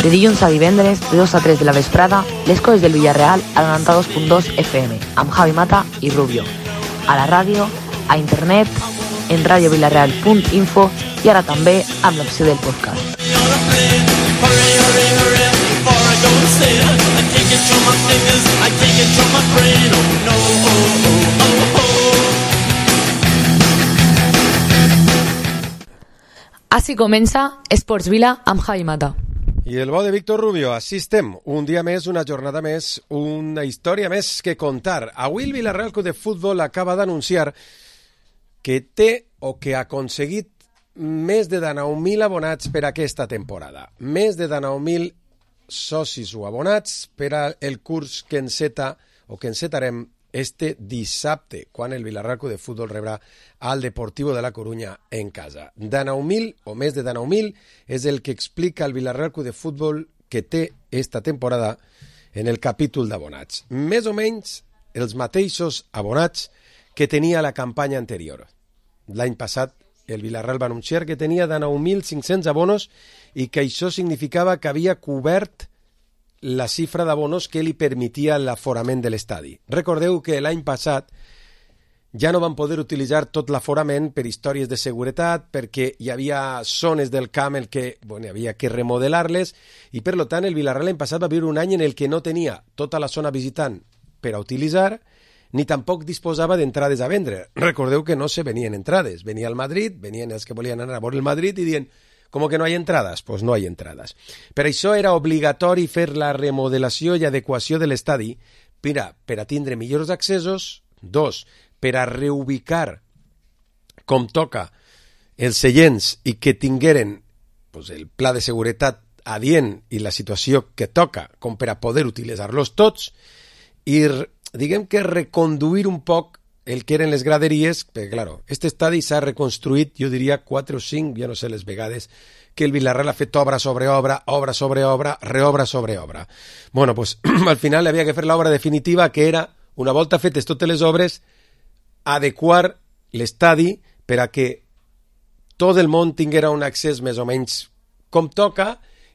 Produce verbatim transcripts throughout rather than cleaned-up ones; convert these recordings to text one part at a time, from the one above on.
De dilluns a divendres, de dos a tres de la vesprada, les coses del Villarreal a noranta-dos punt dos F M, amb Javi Mata i Rubio. A la ràdio, a internet, en radiovillarreal punt info i ara també amb l'opció del podcast. Així comença Esports Vila amb Javi Mata. I el bo de Víctor Rubio, així estem, un dia més, una jornada més, una història més que contar. Avui el Villarreal Club de Futbol acaba d'anunciar que té o que ha aconseguit més de dinou mil abonats per aquesta temporada. Més de dinou mil socis o abonats per al curs que enceta o que encetarem este dissabte, quan el Villarreal Club de Futbol rebrà al Deportivo de la Coruña en casa. dinou mil o més de dinou mil és el que explica el Villarreal Club de Futbol que té esta temporada en el capítol d'abonats. Més o menys els mateixos abonats que tenia la campanya anterior. L'any passat el Villarreal va anunciar que tenia dinou mil cinc-cents abonos i que això significava que havia cobert la xifra d'abonos que li permetia l'aforament de l'estadi. Recordeu que l'any passat ja no van poder utilitzar tot l'aforament per històries de seguretat, perquè hi havia zones del camp en què bueno, hi havia que remodelar-les, i per tant el Villarreal l'any passat va viure un any en el que no tenia tota la zona visitant per a utilitzar, ni tampoc disposava d'entrades a vendre. Recordeu que no se venien entrades. Venia el Madrid, venien els que volien anar a veure el Madrid i dient ¿cómo que no hay entradas? Pues no hay entradas. Per això era obligatori fer la remodelació i adequació de l'estadi per a, per a tindre millors accessos, dos, per a reubicar com toca els seients i que tingueren pues, el pla de seguretat adient i la situació que toca com per a poder utilitzar-los tots i diguem que reconduir un poc el que eren les graderies, perquè, claro, este estadi s'ha reconstruït, jo diria, quatre o cinc, ja no sé les vegades, que el Villarreal ha fet obra sobre obra, obra sobre obra, reobra sobre obra. Bueno, pues, al final havia que fer l'obra definitiva, que era, una volta fetes totes les obres, adequar l'estadi per a que tot el món tinguera un accés més o menys com toca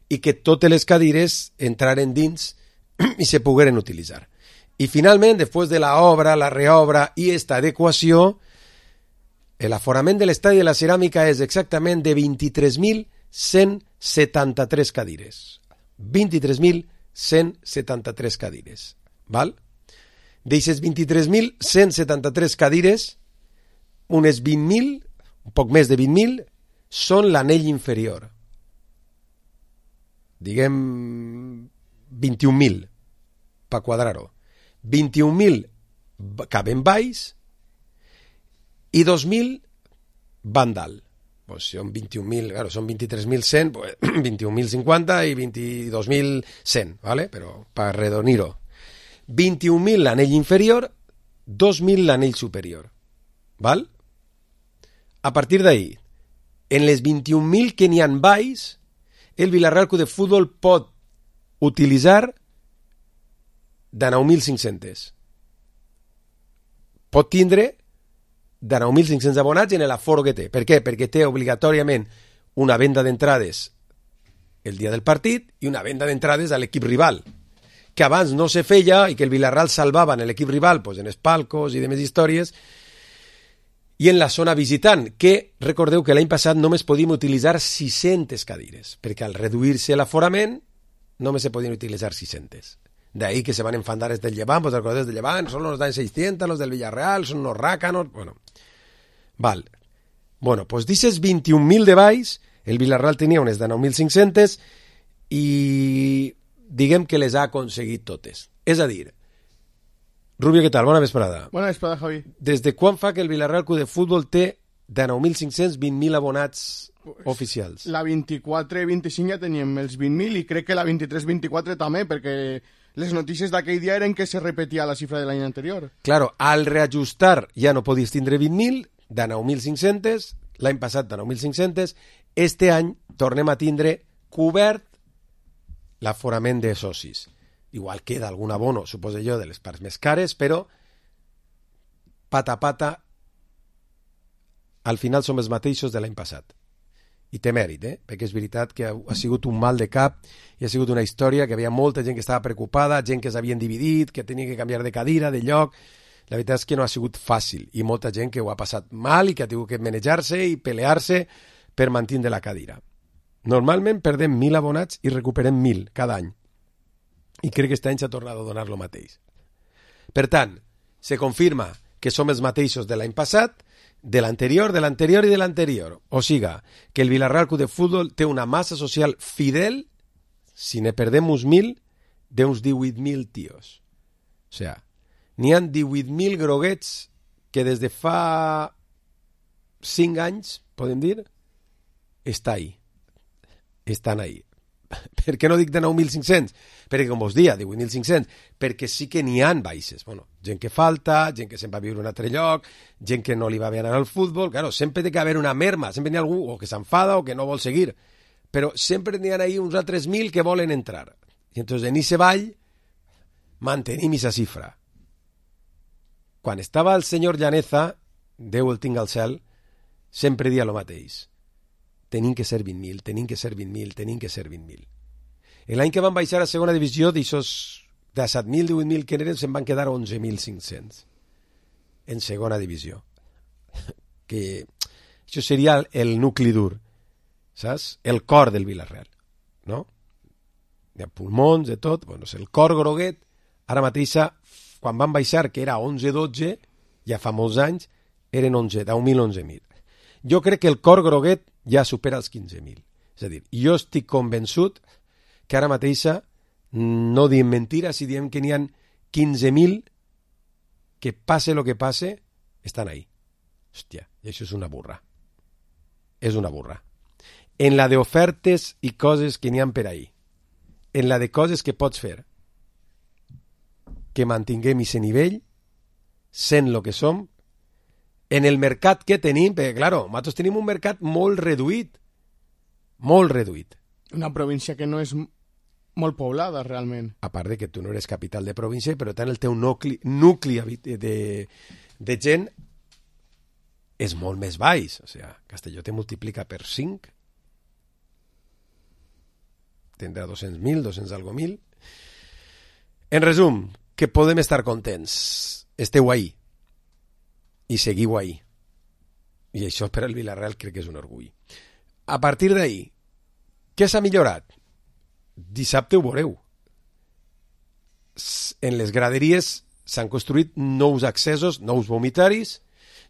i que totes les cadires entraren dins i se pogueren utilitzar. I finalment, després de la obra, la reobra i esta adequació, l'aforament de l'estadi de la Ceràmica és exactament de vint-i-tres mil cent setanta-tres cadires. vint-i-tres mil cent setanta-tres cadires. Val? D'eixes vint-i-tres mil cent setanta-tres cadires, unes vint mil, un poc més de vint mil, són l'anell inferior. Diguem vint-i-un mil, per quadrar-ho. vint-i-un mil caben baix i dos mil van dalt. Pues són vint-i-un mil, claro, són vint-i-tres mil cent, pues, vint-i-un mil cinquanta i vint-i-dos mil cent, ¿vale? Però per redonir-ho. vint-i-un mil l'anell inferior, dos mil l'anell superior. ¿Val? A partir d'ahí, en les vint-i-un mil que n'hi ha baix, el Villarreal Club de Futbol pot utilitzar dinou mil cinc-cents. Pot tindre dinou mil cinc-cents abonats en l'aforo que té. Per què? Perquè té obligatòriament una venda d'entrades el dia del partit i una venda d'entrades a l'equip rival, que abans no se feia i que el Villarreal salvava en l'equip rival pues, en els palcos i demés històries, i en la zona visitant, que recordeu que l'any passat només podíem utilitzar sis-centes cadires, perquè al reduir-se l'aforament només se podien utilitzar sis-centes. De ahí que se van enfadar desde el Llevant, pues recordés del Llevant, son los de seiscientos, los del Villarreal, son unos rácanos, bueno. Val. Bueno, pues dices vint-i-un mil de baix, el Villarreal tenia unes dinou mil cinc-centes i diguem que les ha aconseguit totes. És a dir, Rubio, què tal? Bona vesprada. Bona vesprada, Javi. Des de quan fa que el Villarreal Club de Futbol té dinou mil cinc-cents, vint mil abonats pues, oficials? La vint-i-quatre vint-i-cinc ja teníem els vint mil i crec que la vint-i-tres vint-i-quatre també, perquè les notícies d'aquell dia eren que se repetia la xifra de l'any anterior. Claro, al reajustar ja no podies tindre vint mil, dinou mil cinc-cents, l'any passat dinou mil cinc-cents, este any tornem a tindre cobert l'aforament de socis. Igual queda algun abono, suposo jo, de les parts més cares, però pata a pata al final som els mateixos de l'any passat. I té mèrit, eh? Perquè és veritat que ha, ha sigut un mal de cap i ha sigut una història que hi havia molta gent que estava preocupada, gent que s'havien dividit, que tenia que canviar de cadira, de lloc. La veritat és que no ha sigut fàcil i molta gent que ho ha passat mal i que ha tingut que manejar-se i pelear-se per mantenir la cadira. Normalment perdem mil abonats i recuperem mil cada any. I crec que aquest any s'ha tornat a donar lo mateix. Per tant, se confirma que som els mateixos de l'any passat, de l'anterior, de l'anterior i de l'anterior. O siga, que el Villarreal Club de Futbol té una massa social fidel, si ne perdem uns mil, d'uns divuit mil tios. O sigui, n'hi ha divuit mil groguets que des de fa cinc anys, podem dir, està ahí. Estan ahí. Per què no dic de nou mil cinc-cents? Perquè, com vos dia, divuit mil cinc-cents, perquè sí que n'hi ha baixes. Bueno, gent que falta, gent que se'n va a viure a un altre lloc, gent que no li va bé anar al futbol. Claro, sempre té que haver una merma, sempre n'hi ha algú o que s'enfada o que no vol seguir. Però sempre n'hi ha ahí uns altres mil que volen entrar. I entonces en ese ball mantenim esa cifra. Quan estava el senyor Llaneza, Déu el tinga al cel, sempre dia el mateix. Tenim que ser vint mil, tenim que ser vint mil, tenim que ser vint mil. L'any que van baixar a segona divisió, d'aixòs de set mil, divuit mil que eren, se'n van quedar onze mil cinc-cents en segona divisió. Que això seria el nucli dur, saps? El cor del Villarreal, no? Hi ha pulmons, de tot, bueno, el cor groguet, ara mateixa, quan van baixar, que era onze dotze, ja fa molts anys, eren onze, deu mil, onze mil. Jo crec que el cor groguet ja supera els quinze mil. És a dir, jo estic convençut que ara mateixa no diem mentira si diem que n'hi ha quinze mil que passe el que passe, estan ahí. Hòstia, i això és una burra. És una burra. En la d'ofertes i coses que n'hi ha per ahí, en la de coses que pots fer, que mantinguem aquest nivell, sent el que som, en el mercat que tenim, perquè, claro, nosaltres tenim un mercat molt reduït, molt reduït. Una província que no és molt poblada, realment. A part de que tu no eres capital de província, però tant el teu nucli, nucli de, de gent és molt més baix. O sigui, Castelló te multiplica per cinc, tindrà dos-cents mil, dos-cents algo mil. En resum, que podem estar contents. Esteu ahí. I seguiu ahí. I això per al Villarreal crec que és un orgull. A partir d'ahí, què s'ha millorat? Dissabte ho veureu. En les graderies s'han construït nous accessos, nous vomitaris.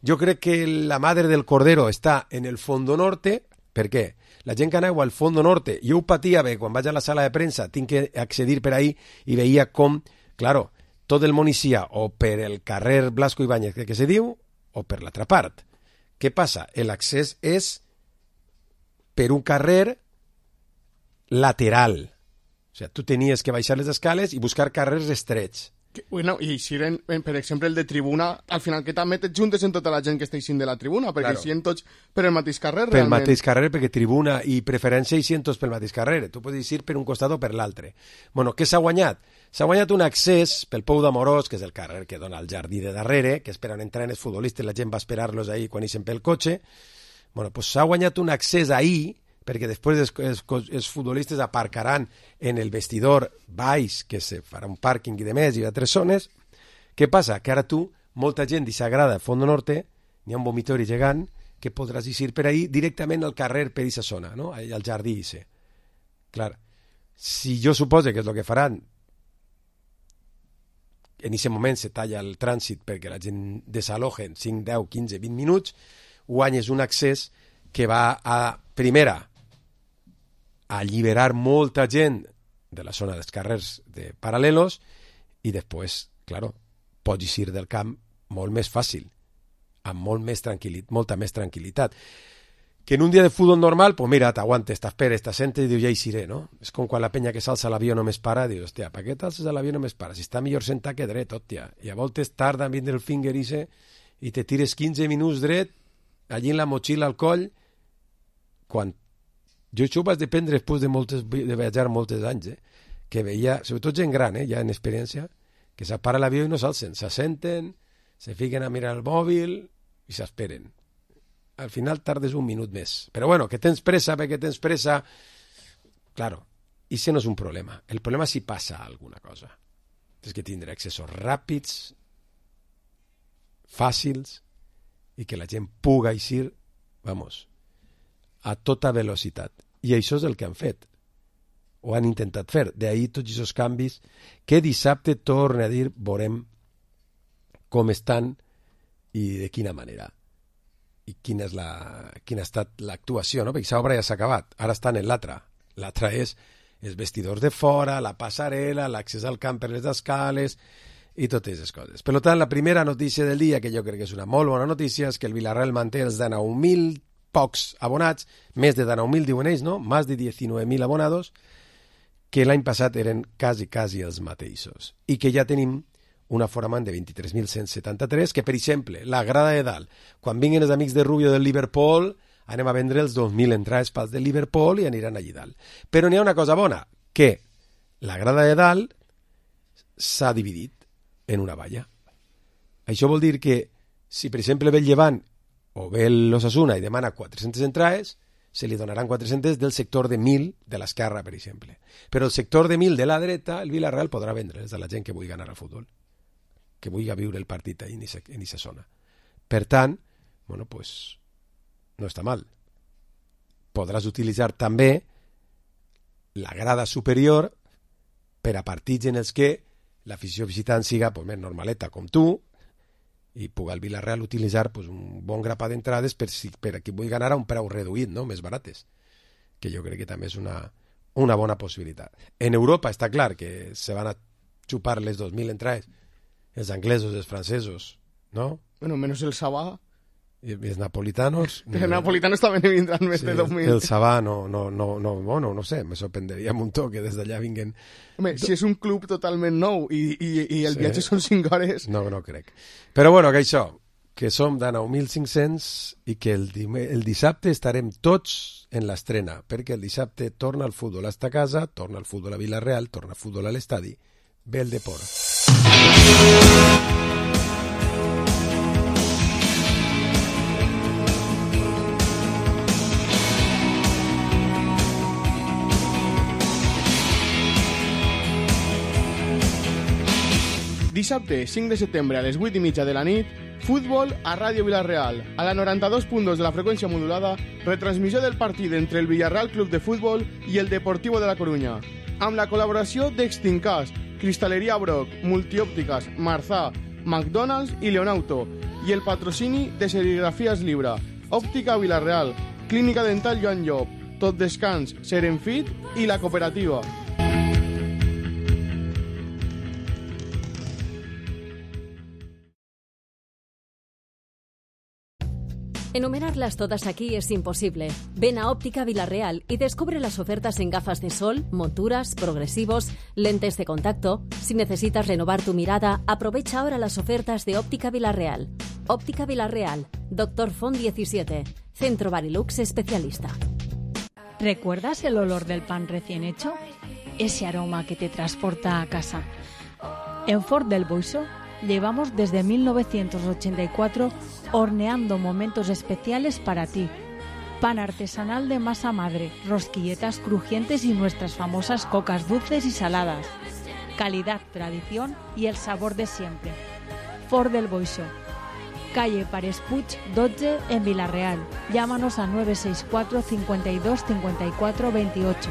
Jo crec que la Madre del Cordero està en el Fondo Norte. Per què? La gent que aneu al Fondo Norte, jo ho patia bé, quan vaig a la sala de premsa, tinc que accedir per ahí i veia com, claro, tot el Monicià, o per el carrer Blasco Ibáñez, que, que se diu, o per l'altra part. Què passa? L'accés és per un carrer lateral. O sigui, tu tenies que baixar les escales i buscar carrers estrets. Que, bueno, i si eren, per exemple, el de tribuna, al final que també et juntes en tota la gent que està eixint de la tribuna, perquè claro, eixien tots per el mateix carrer, per realment. Per el mateix carrer, perquè tribuna i preferència eixien tots pel mateix carrer. Tu pots eixir per un costat o per l'altre. Bueno, què s'ha guanyat? S'ha guanyat un accés pel Pou d'Amorós, que és el carrer que dona al jardí de darrere, que esperen entrar els futbolistes, la gent va esperar-los ahí quan eixen pel cotxe. Bueno, pues s'ha guanyat un accés ahí, perquè després els, els, els futbolistes aparcaran en el vestidor baix, que se farà un pàrquing i de més, i altres zones. Què passa? Que ara tu, molta gent s'agrada al Fondo Norte, n'hi ha un vomitori gegant, que podràs eixir per ahí directament al carrer per aquesta zona, no? Al jardí ese. Clar, si jo supose que és el que faran, en aquest moment se talla el trànsit perquè la gent desaloja en cinc, deu, quinze, vint minuts, guanyes un accés que va a, primera, alliberar molta gent de la zona dels carrers de paral·lelos i després, claro, pots eixir del camp molt més fàcil, amb molt més tranquil·litat, molta més tranquil·litat. Que en un dia de futbol normal, pues mira, t'aguantes, t'esperes, t'assentes i dius, ja eixiré, no? És com quan la penya que s'alça a l'avió només para, dius, hòstia, per què t'alces a l'avió només para? Si està millor sentar que dret, hòstia. I a voltes tarda en vindre el finger ise i te tires quinze minuts dret, allí en la motxilla al coll, quan jo això ho vaig dependre després de, moltes, de viatjar molts anys, eh? Que veia, sobretot gent gran, eh? Ja en experiència, que s'apara l'avió i no s'alcen, s'assenten, se fiquen a mirar el mòbil i s'esperen. al final tardes un minut més. Però bueno, que tens pressa perquè tens pressa... Claro, i això no és un problema. El problema és si passa alguna cosa. Tens que tindre accessos ràpids, fàcils, i que la gent puga eixir, vamos, a tota velocitat. I això és el que han fet. O han intentat fer. D'ahir tots aquests canvis que dissabte torna a dir, veurem com estan i de quina manera. I quina, és la, quina ha estat l'actuació, no? Perquè aquesta obra ja s'ha acabat. Ara estan en l'altra. L'altra és els vestidors de fora, la passarel·la, l'accés al camp per les escales i totes aquestes coses. Per tant, la primera notícia del dia, que jo crec que és una molt bona notícia, és que el Villarreal manté els dinou mil pocs abonats, més de dinou mil diuen ells, no? Més de diecinueve mil abonados, que l'any passat eren quasi, quasi els mateixos. I que ja tenim un aforament de vint-i-tres mil cent setanta-tres, que, per exemple, la grada de dalt, quan vinguin els amics de Rubio del Liverpool, anem a vendre els dos mil entrades pels de Liverpool i aniran allí dalt. Però n'hi ha una cosa bona, que la grada de dalt s'ha dividit en una valla. Això vol dir que si, per exemple, ve el Llevant o ve l'Osasuna i demana quatre-centes entrades, se li donaran quatre-centes del sector de mil de l'esquerra, per exemple. Però el sector de mil de la dreta, el Villarreal podrà vendre's a la gent que vulgui anar al futbol, que vulgui viure el partit en aquesta zona. Per tant, bueno, pues, no està mal. Podràs utilitzar també la grada superior per a partits en els que l'afició visitant siga pues, més normaleta com tu i pugui el Villarreal utilitzar pues, un bon grapat d'entrades per, si, per a qui vulgui anar a un preu reduït, no? Més barates, que jo crec que també és una, una bona possibilitat. En Europa està clar que se van a xupar les dos mil entrades, els anglesos, els francesos, ¿no? Bueno, menos el Sabá. I els napolitanos... Els napolitanos també ne vindran més sí, de dos mil. El Sabá no, no, no, no, bueno, no sé, me sorprenderia un muntó que des d'allà vinguen... Home, si és un club totalment nou i, i, i el sí. viatge són cinc hores... No, no crec. Però bueno, que això, que som de nou mil cinc-cents i que el, el dissabte estarem tots en l'estrena, perquè el dissabte torna el futbol a esta casa, torna el futbol a Villarreal, torna el futbol a l'estadi, ve el deport. Dissabte, cinc de setembre, a les vuit i mitja de la nit, futbol a Ràdio Villarreal. A la noranta-dos punt dos de la freqüència modulada, retransmissió del partit entre el Villarreal Club de Futbol i el Deportivo de la Coruña. Amb la col·laboració d'Extincas, Cristaleria Broc, Multiòptiques, Marzà, McDonald's i Leonauto, i el patrocini de Serigrafies Libra, Òptica Villarreal, Clínica Dental Joan Llop, Tot Descans, Serenfit i la Cooperativa. Enumerarlas todas aquí es imposible. Ven a Óptica Villarreal y descubre las ofertas en gafas de sol, monturas, progresivos, lentes de contacto. Si necesitas renovar tu mirada, aprovecha ahora las ofertas de Óptica Villarreal. Óptica Villarreal, Doctor Font diecisiete, Centro Barilux especialista. ¿Recuerdas el olor del pan recién hecho? Ese aroma que te transporta a casa. En Fort del Boixó llevamos desde mil novecientos ochenta y cuatro horneando momentos especiales para ti. Pan artesanal de masa madre, rosquilletas crujientes y nuestras famosas cocas dulces y saladas. Calidad, tradición y el sabor de siempre. Fort del Boixó, calle Pares Puig dotze en Villarreal. Llámanos a nueve seis cuatro, cincuenta y dos, cincuenta y cuatro, veintiocho.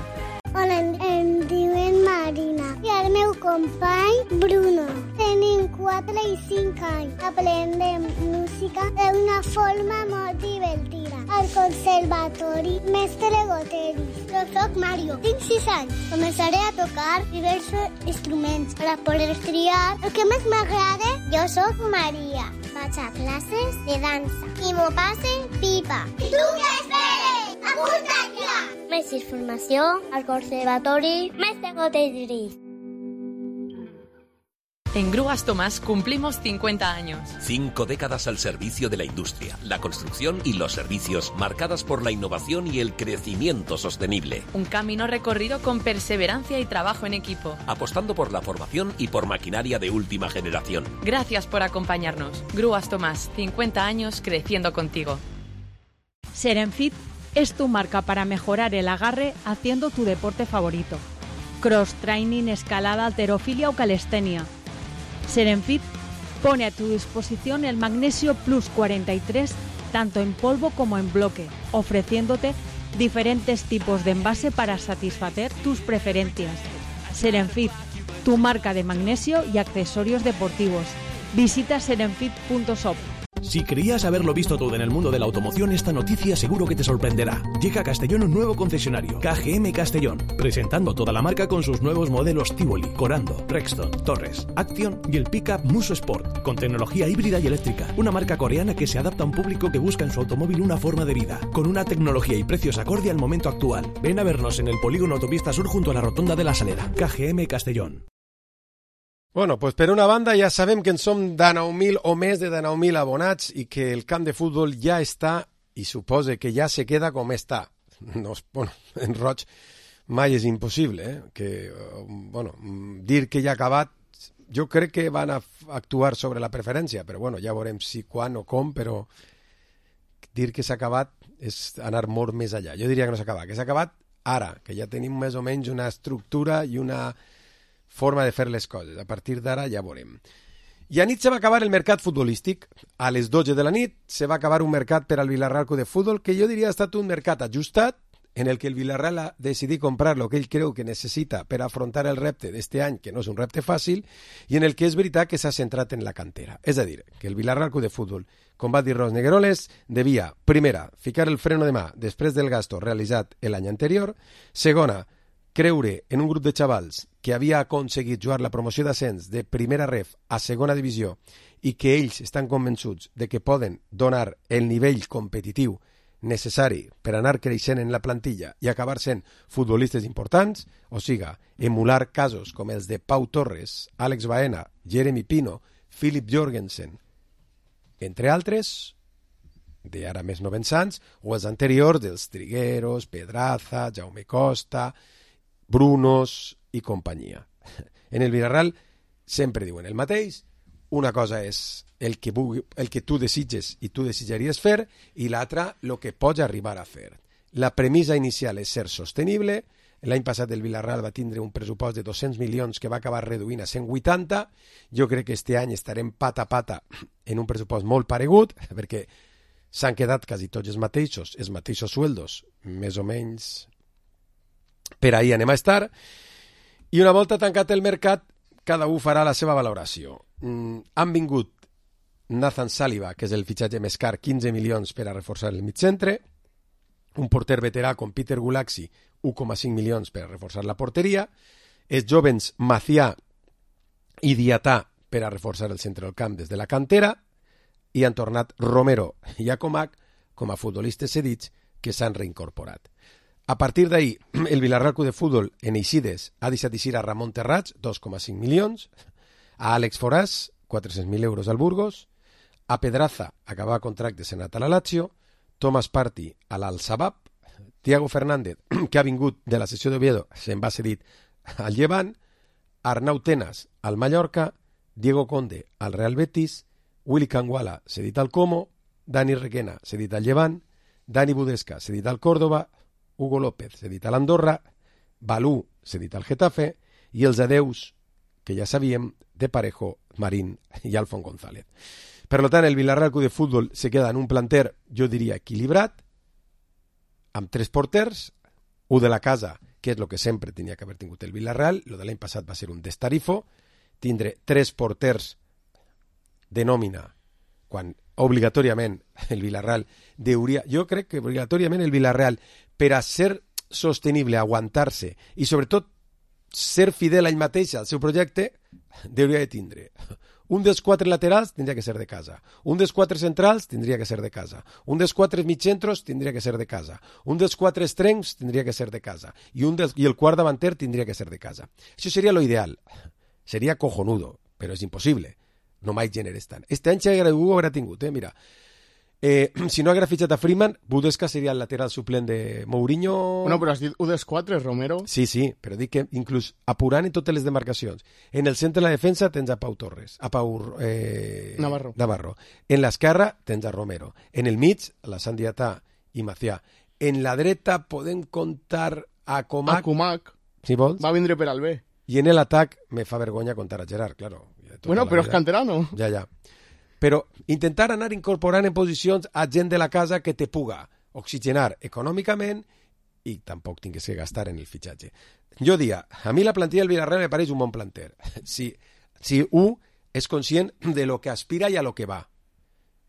Hola, em diuen Marina i el meu company Bruno. Tenim quatre i cinc anys. Aprendem música d'una forma molt divertida. Al conservatori Mestre Goteris. Jo soc Mario, tinc sis anys. Començaré a tocar diversos instruments per a poder triar el que més m'agrada. Jo soc Maria. Vaig a classes de dansa i m'ho passe pipa. I tu què esperes? Apunta't ja! Més informació al Conservatori Mestre Goteris. En Grúas Tomás cumplimos cincuenta años. Cinco décadas al servicio de la industria, la construcción y los servicios, marcadas por la innovación y el crecimiento sostenible. Un camino recorrido con perseverancia y trabajo en equipo. Apostando por la formación y por maquinaria de última generación. Gracias por acompañarnos. Grúas Tomás, cincuenta años creciendo contigo. Serenfit es tu marca para mejorar el agarre haciendo tu deporte favorito. Cross training, escalada, halterofilia o calistenia. Serenfit pone a tu disposición el Magnesio Plus cuarenta y tres tanto en polvo como en bloque, ofreciéndote diferentes tipos de envase para satisfacer tus preferencias. Serenfit, tu marca de magnesio y accesorios deportivos. Visita serenfit punto shop. Si creías haberlo visto todo en el mundo de la automoción, esta noticia seguro que te sorprenderá. Llega a Castellón un nuevo concesionario, K G M Castellón, presentando toda la marca con sus nuevos modelos Tivoli, Corando, Rexton, Torres, Action y el pickup Muso Sport, con tecnología híbrida y eléctrica. Una marca coreana que se adapta a un público que busca en su automóvil una forma de vida, con una tecnología y precios acorde al momento actual. Ven a vernos en el polígono Autopista Sur junto a la Rotonda de la Salera. K G M Castellón. Bueno, pues per una banda ja sabem que en som dinou mil o més de dinou mil abonats i que el camp de futbol ja està i suposa que ja se queda com està. No, bueno, en roig mai és impossible, eh? Que, bueno, dir que ja ha acabat, jo crec que van a actuar sobre la preferència, però bueno, ja veurem si, quan o com, però dir que s'ha acabat és anar molt més allà. Jo diria que no s'ha acabat, que s'ha acabat ara, que ja tenim més o menys una estructura i una forma de fer les coses. A partir d'ara ja veurem. I a nit se va acabar el mercat futbolístic. A les dotze de la nit se va acabar un mercat per al Villarreal Club de Futbol que jo diria ha estat un mercat ajustat en el que el Villarreal ha decidit comprar el que ell creu que necessita per afrontar el repte d'este any, que no és un repte fàcil, i en el que és veritat que s'ha centrat en la cantera. És a dir, que el Villarreal Club de Futbol, com va dir Ros Negueroles, devia, primera, ficar el freno de mà després del gasto realitzat l'any anterior, segona, creure en un grup de xavals que havia aconseguit jugar la promoció d'ascens de primera ref a segona divisió i que ells estan convençuts de que poden donar el nivell competitiu necessari per anar creixent en la plantilla i acabar sent futbolistes importants, o siga, emular casos com els de Pau Torres, Àlex Baena, Jeremy Pino, Philip Jorgensen, entre altres, de ara més novens o els anteriors dels Trigueros, Pedraza, Jaume Costa, Brunos i companyia. En el Villarreal sempre diuen el mateix, una cosa és el que, vulgui, el que tu desitges i tu desitjaries fer i l'altra el que pots arribar a fer. La premissa inicial és ser sostenible. L'any passat el Villarreal va tindre un pressupost de dos-cents milions que va acabar reduint a cent vuitanta. Jo crec que este any estarem pata a pata en un pressupost molt paregut perquè s'han quedat quasi tots els mateixos, els mateixos sueldos, més o menys per ahir anem a estar, i una volta tancat el mercat, cada un farà la seva valoració. Mm, han vingut Nathan Saliba, que és el fitxatge més car, quinze milions per a reforçar el mitcentre, un porter veterà com Peter Gulaxi, un coma cinc milions per a reforçar la porteria, els jovens Macià i Diatà per a reforçar el centre del camp des de la cantera, i han tornat Romero i Acomac com a futbolistes cedits que s'han reincorporat. A partir d'ahir, el Villarreal Club de Futbol en Eixides ha deixat eixir a Ramon Terrats, dos coma cinc milions, a Àlex Foràs, quatre-cents mil euros al Burgos, a Pedraza, acabava contracte senat a la Lazio, Thomas Partey a l'Al-Sabab, Thiago Fernández, que ha vingut de la sessió d'Oviedo, se'n va cedit al Llevant, Arnau Tenas al Mallorca, Diego Conde al Real Betis, Willy Canguala cedit al Como, Dani Requena cedit al Llevant, Dani Budesca cedit al Córdoba, Hugo López cedit a l'Andorra, Balú cedit al Getafe i els adeus, que ja sabíem, de Parejo, Marín i Alfon González. Per tant, el Villarreal Club de Futbol se queda en un planter, jo diria, equilibrat, amb tres porters, un de la casa, que és el que sempre tenia que haver tingut el Villarreal, el de l'any passat va ser un destarifo, tindre tres porters de nòmina, quan obligatòriament el Villarreal deuria, jo crec que obligatòriament el Villarreal, per a ser sostenible, aguantar-se i sobretot ser fidel a ell mateix al seu projecte, deuria de tindre un dels quatre laterals tindria que ser de casa, un dels quatre centrals tindria que ser de casa, un dels quatre mitjentros tindria que ser de casa, un dels quatre extrems tindria que ser de casa i, un dels, i el quart davanter tindria que ser de casa. Això seria lo ideal, seria cojonudo, però és impossible. No mai generes tant. Este any ja ho haurà tingut, eh? Mira. Eh, si no haguera fitxat a Freeman, Budesca seria el lateral suplent de Mourinho. Bueno, però has dit un dels quatre, Romero. Sí, sí, però dic que inclús apurant en totes les demarcacions. En el centre de la defensa tens a Pau Torres, a Pau eh, Navarro. Navarro. En l'esquerra tens a Romero. En el mig, la Sandiatà i Macià. En la dreta podem comptar a Comac. A Comac. Si vols. Va vindre per al B. I en l'atac me fa vergonya contar a Gerard, claro. Bueno, però és canterano. Ja, ja. Però intentar anar incorporant en posicions a gent de la casa que te puga oxigenar econòmicament i tampoc tingués que gastar en el fitxatge. Jo dia, a mi la plantilla del Villarreal me pareix un bon planter. Si, si un és conscient de lo que aspira i a lo que va.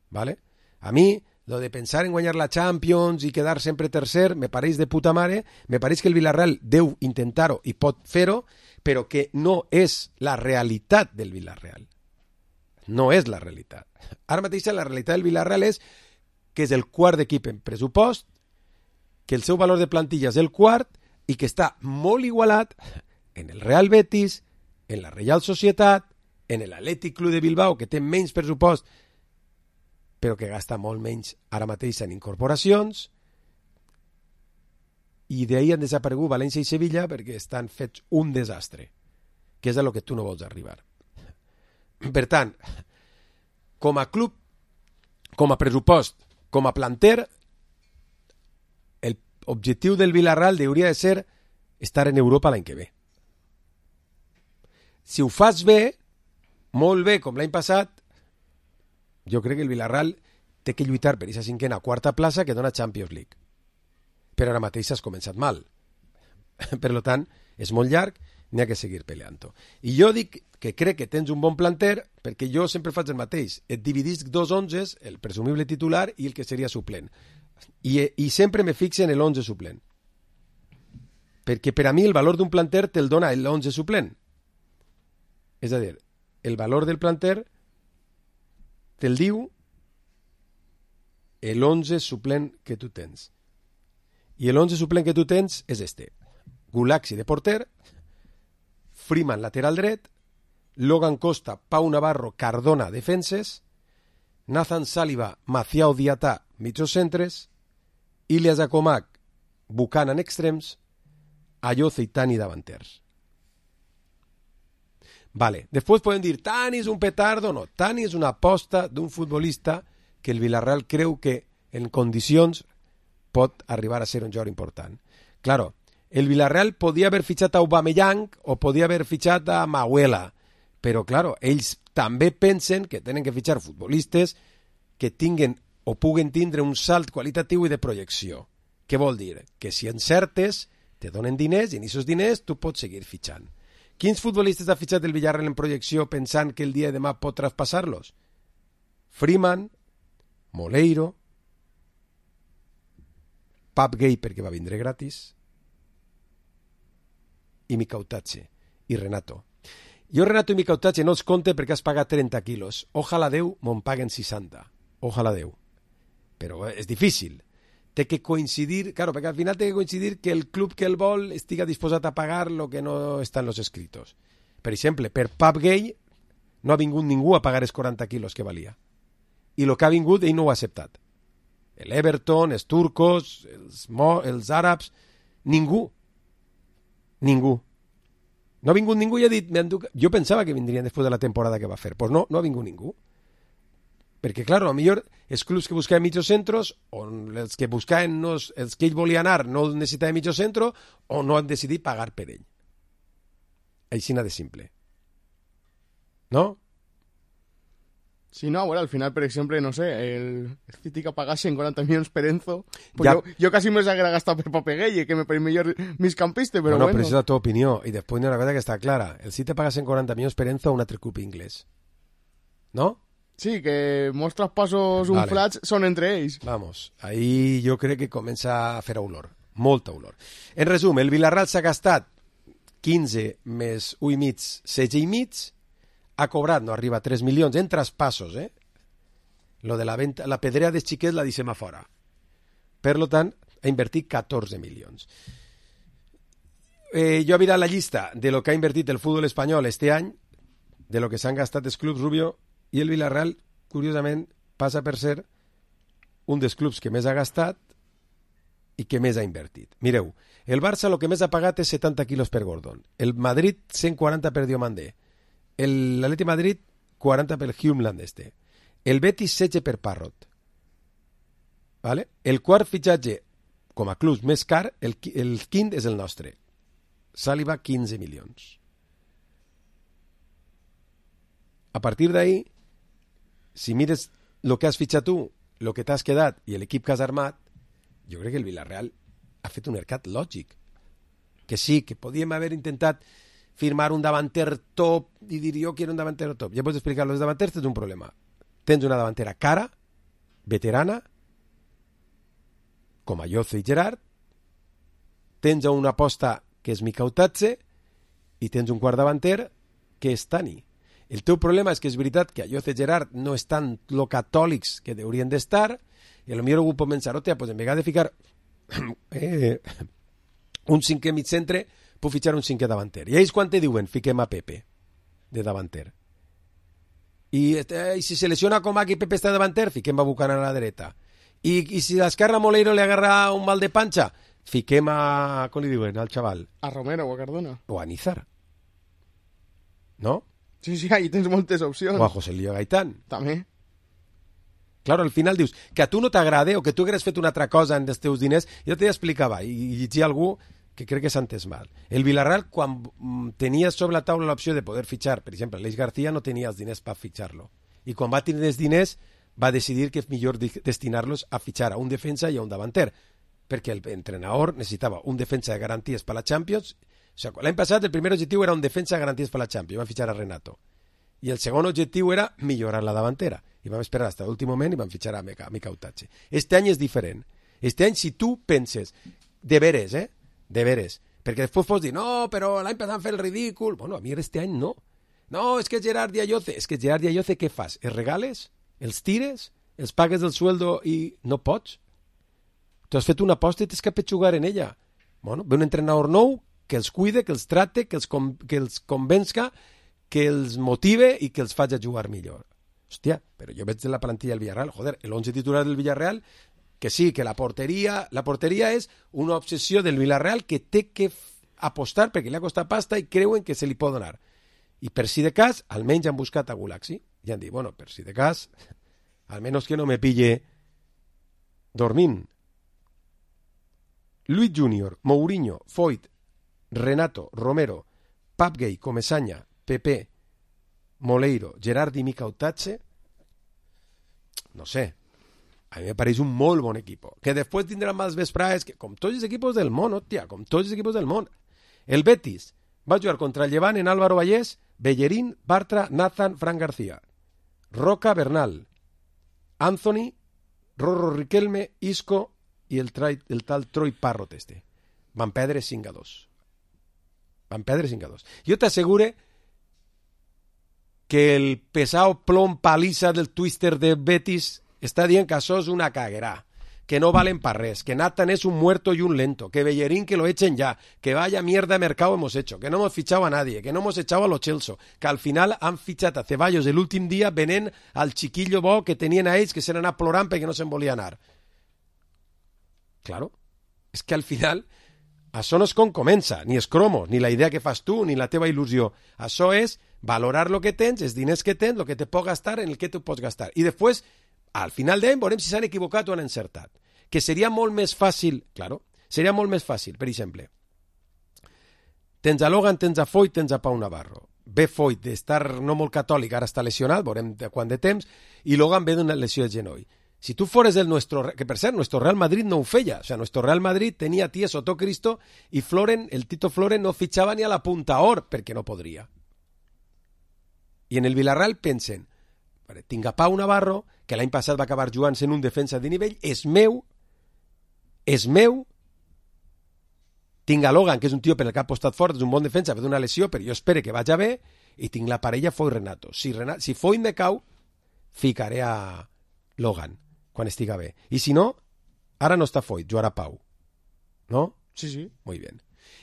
¿Vale? A mi, lo de pensar en guanyar la Champions i quedar sempre tercer, me pareix de puta mare, me pareix que el Villarreal deu intentar-ho i pot fer-ho, però que no és la realitat del Villarreal. No és la realitat. Ara mateix la realitat del Villarreal és que és el quart equip en pressupost, que el seu valor de plantilla és el quart i que està molt igualat en el Real Betis, en la Reial Societat, en l'Atlètic Club de Bilbao, que té menys pressupost, però que gasta molt menys ara mateix en incorporacions, i d'ahir han desaparegut València i Sevilla perquè estan fets un desastre, que és a lo que tu no vols arribar. Per tant, com a club, com a pressupost, com a planter, el objectiu del Villarreal hauria de ser estar en Europa l'any que ve. Si ho fas bé, molt bé, com l'any passat, jo crec que el Villarreal té que lluitar per aquesta cinquena quarta plaça que dona Champions League. Però ara mateix has començat mal. Per tant, és molt llarg, n'hi ha que seguir peleant-ho. I jo dic que crec que tens un bon planter perquè jo sempre faig el mateix. Et dividisc dos onzes, el presumible titular i el que seria suplent. I, i sempre me fixe en l'onze suplent. Perquè per a mi el valor d'un planter te'l dona l'onze suplent. És a dir, el valor del planter te'l diu l'onze suplent que tu tens. I l'onze suplent que tu tens és este. Gulaxi de porter, Freeman lateral dret, Logan Costa, Pau Navarro, Cardona defenses, Nathan Saliba, Macià Diatà mitjocentres, Ilias Acomac, Buchanan extrems, Ayoce i Tani davanters. Vale, després podem dir Tani és un petardo. No, Tani és una aposta d'un futbolista que el Villarreal creu que en condicions pot arribar a ser un jugador important. Claro, el Villarreal podia haver fitxat a Aubameyang o podia haver fitxat a Mahuela, però claro, ells també pensen que tenen que fitxar futbolistes que tinguen o puguen tindre un salt qualitatiu i de projecció. Què vol dir? Que si encertes, te donen diners i en aquests diners tu pots seguir fitxant. Quins futbolistes ha fitxat el Villarreal en projecció pensant que el dia de demà pot traspassar-los? Freeman, Moleiro, Pap Gay perquè va vindre gratis, i Micautache, i Renato. Jo Renato i Micautache no els compte perquè has pagat trenta quilos. Ojalà Déu me'n paguen seixanta. Ojalà Déu. Però és difícil. Té que coincidir, claro, perquè al final té que coincidir que el club que el vol estiga disposat a pagar lo que no està en los escritos. Per exemple, per Pap Gay no ha vingut ningú a pagar els quaranta quilos que valia. I el que ha vingut ell no ho ha acceptat. L'Everton, els turcos, els, mo, els àrabs, ningú. Ningú. No ha vingut ningú i ha dit, jo pensava que vindrien després de la temporada que va fer. Pues no, no ha vingut ningú. Perquè, clar, a lo millor els clubs que buscaven mitjocentros, o els que buscaven no, els que ell volia anar no necessitaven mitjocentro, o no han decidit pagar per ell. Així de simple. No? Sí, no, bueno, al final, per exemple, no sé, el, el City que pagasen quaranta milions per Enzo, pues ja. jo, jo quasi me s'haguera gastat per Papegueye, que me pareix millor migcampista, però bueno. bueno. Però és la teva opinió, i després hi ha una cosa que està clara. El City pagasen quaranta milions per Enzo a un altre club inglès. No? Sí, que molts traspassos unflats vale. Són entre ells. Vamos, ahí jo crec que comença a fer olor, molta olor. En resum, el Villarreal s'ha gastat quinze més un i mig, setze i mig, ha cobrat, no arriba a tres milions en traspassos, eh? Lo de la venta, la pedrea dels xiquets la deixem a fora. Per lo tant, ha invertit catorze milions. Eh, jo he mirat la llista de lo que ha invertit el futbol espanyol este any, de lo que s'han gastat els clubs, Rubio, i el Villarreal, curiosament, passa per ser un dels clubs que més ha gastat i que més ha invertit. Mireu, el Barça el que més ha pagat és setanta quilos per Gordon, el Madrid cent quaranta per Diomandé, l'Atleti Madrid quaranta per Humeland este, el Betis setze per Parrot, Vale? El quart fitxatge, com a club més car, el, el quint és el nostre. Saliba, quinze milions. A partir d'ahí, si mires el que has fitxat tu, el que t'has quedat i l'equip que has armat, jo crec que el Villarreal ha fet un mercat lògic. Que sí, que podíem haver intentat firmar un davanter top i dir jo que era un davanter top. Ja pots explicar, els davanters tens un problema. Tens una davantera cara, veterana, com a Lloce i Gerard, tens una aposta que és Mikautatze i tens un quart davanter que és Tani. El teu problema és que és veritat que a Lloce i Gerard no estan lo catòlics que haurien d'estar i potser algú pot pensar, hòstia, pues en vegada de ficar eh, un cinquè mig centre, puc fitxar un cinquè davanter. I ells quan te diuen, fiquem a Pepe de davanter. I, eh, i si se lesiona Comac i Pepe està davanter, fiquem a Buchanan a la dreta. I, i si l'esquerra Moleiro li agarra un mal de panxa, fiquem a... com li diuen, al xaval? A Romero o a Cardona. O a Nízar. No? Sí, sí, ahí tens moltes opcions. O a José Lío Gaitán. També. Claro, al final dius que a tu no t'agrada o que tu hagués fet una altra cosa en els teus diners. Jo t'hi explicava i, i llegia algú que crec que s'ha entès mal. El Villarreal, quan tenia sobre la taula l'opció de poder fitxar, per exemple, l'Eix García no tenia els diners per fitxar-lo. I quan va tenir els diners va decidir que és millor destinar-los a fitxar a un defensa i a un davanter, perquè l'entrenador necessitava un defensa de garanties per la Champions. O sigui, l'any passat el primer objectiu era un defensa de garanties per la Champions, van fitxar a Renato. I el segon objectiu era millorar la davantera. I vam esperar fins a l'últim moment i vam fitxar a Mikautatze. Este any és diferent. Este any, si tu penses, de veres, eh? De veres. Perquè després pots dir, no, però l'any passat fer el ridícul. Bueno, a mi este any no. No, és que Gerard i Ayoce. És que Gerard i Ayoce què fas? Els regales? Els tires? Els pagues del sueldo i no pots? Tu has fet una aposta i tens que petxugar en ella. Bueno, ve un entrenador nou que els cuide, que els trate, que els, com, que els convença, que els motive i que els faci jugar millor. Hòstia, però jo veig de la plantilla del Villarreal, joder, el once titular del Villarreal, que sí, que la porteria, la porteria és una obsessió del Villarreal que té que apostar perquè li ha costat pasta i creuen que se li pot donar. I per si de cas, almenys han buscat a Gulaxi i han dit, bueno, per si de cas, almenys que no me pille dormint. Luis Junior, Mourinho, Foyt, Renato, Romero, Papgay, Comesaña, Pepe, Moleiro, Gerard i Mikautatze, no sé, a mi me pareix un molt bon equip, que després tindrà más vesprades, que, com tots els equipos del món, hòstia, com tots els equipos del món. El Betis va jugar contra el Llevant en Álvaro Vallès, Bellerín, Bartra, Nathan, Fran García, Roca, Bernal, Anthony, Rorro Riquelme, Isco i el, trai, el tal Troy Parrot este. Van perdre cinc a dos. Van perdre cinc a dos. Jo t'assegure que el pesado plom paliza del Twister de Betis està dient que això és una caguera, que no valen para res, que Nathan es un muerto y un lento, que Bellerín que lo echen ya, que vaya mierda de mercado hemos hecho, que no hemos fichado a nadie, que no hemos echado a los Chelsea, que al final han fichado a Ceballos el últim dia venent al chiquillo bo que tenien a ells que s'han anat plorant perquè no se'n volia anar. Claro, és que al final això no és com comença, ni és cromo, ni la idea que fas tu, ni la teva il·lusió. Això és valorar el que tens, els diners que tens, el que te pot gastar, en el que te pots gastar. I després, al final d'any, veurem si s'han equivocat o han encertat. Que seria molt més fàcil, claro, seria molt més fàcil, per exemple, tens a Logan, tens a Foyt, tens a Pau Navarro. Ve Foyt d'estar no molt catòlic, ara està lesionat, veurem de quant de temps, i Logan ve d'una lesió de genoll. Si tu fores el nuestro, que per cert, nuestro Real Madrid no ho feia, o sea, nuestro Real Madrid tenia Ties Soto Cristo i Floren, el Tito Floren no fitxava ni a la punta or perquè no podria. I en el Villarreal pensen, tinc a Pau Navarro, que l'any passat va acabar jugant en un defensa de nivell, és meu, és meu, tinc a Logan, que és un tio per el que ha apostat fort, és un bon defensa, ve d'una lesió, però jo espero que vagi bé, i tinc la parella Foyt Renato. Si, Renato, si Foyt me cau, ficaré a Logan quan estiga bé. I si no, ara no està Foyt, jugarà Pau. ¿No? Sí, sí. Muy bien.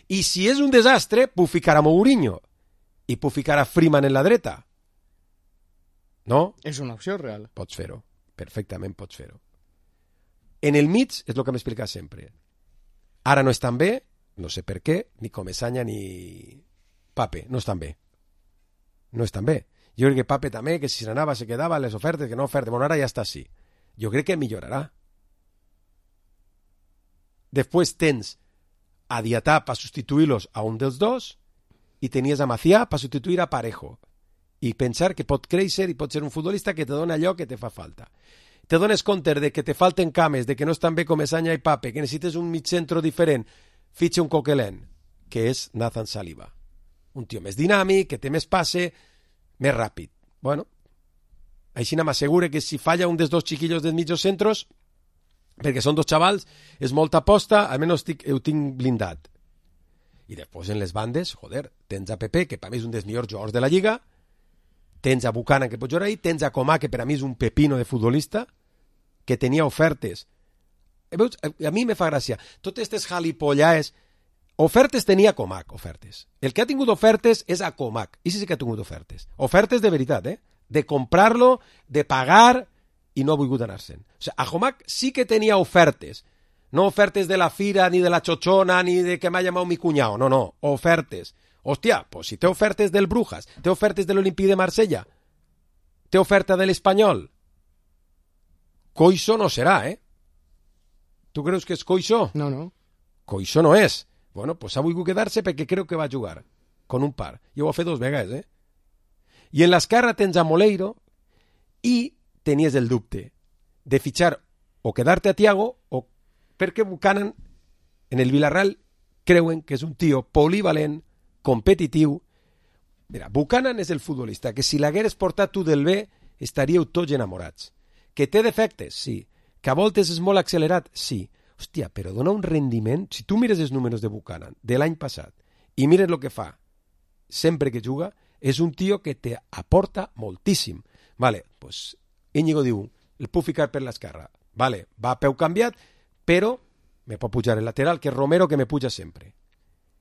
I si és un desastre, puc ficar a Mourinho i puc ficar a Freeman en la dreta. No? És una opció real. Pots fer-ho. Perfectament pots fer-ho. En el mig és el que m'explica sempre. Ara no estan bé, no sé per què, ni Comesaña ni Pape, no estan bé. No estan bé. Jo crec que Pape també, que si s'anava se quedava les ofertes, que no ofertes, bueno, ara ja està així. Jo crec que millorarà. Després tens a Diatà per substituir-los a un dels dos i tenies a Macià per substituir a Parejo i pensar que pot créixer i pot ser un futbolista que te dona allò que te fa falta. Te dones compte de que te falten cames, de que no estan bé com Esanya i Pape, que necessites un mig-centro diferent, fitxa un coquelent, que és Nathan Saliba. Un tio més dinàmic, que té més passe, més ràpid. Bueno, així m'assegure que si falla un dels dos chiquillos dels mitjos centros, perquè són dos xavals, és molta aposta, almenys ho tinc blindat. I després en les bandes, joder, tens a Pepe, que per mi és un dels millors jugadors de la Lliga, tens a Buchanan, que pot jugar ahí, tens a Coman, que per a mi és un pepino de futbolista, que tenia ofertes. Veus? A mi me fa gràcia. Totes aquestes jalipollaes, ofertes tenia Comac, ofertes. El que ha tingut ofertes és a Comac. I sí, sí que ha tingut ofertes. Ofertes de veritat, eh? De comprar-lo, de pagar, i no ha volgut anar-se'n. O sigui, a Comac sí que tenia ofertes. No ofertes de la Fira, ni de la Chochona, ni de que m'ha llamat mi cunyao. No, no, ofertes. Hòstia, pues si té ofertes del Brujas, té ofertes de l'Olimpí de Marsella, té oferta de l'Espanyol, Coixo no serà, eh? Tu creus que és Coixo? No, no. Coixo no és. Bueno, pues ha volgut quedar-se perquè creu que va jugar con un par. I ho ha fet dos vegades, eh? I en l'esquerra tens a Moleiro i tenies el dubte de fitxar o quedar-te a Thiago o perquè Buchanan en el Villarreal creuen que és un tio polivalent, competitiu. Mira, Buchanan és el futbolista que si l'hagueres portat tu del B estaríeu tots enamorats. Que té defectes, sí. Que a voltes és molt accelerat, sí. Hòstia, però dona un rendiment. Si tu mires els números de Buchanan de l'any passat i mires el que fa sempre que juga, és un tio que te aporta moltíssim. Vale, pues Íñigo diu, el puc ficar per l'esquerra. Vale, va a peu canviat, però me pot pujar el lateral, que és Romero, que me puja sempre.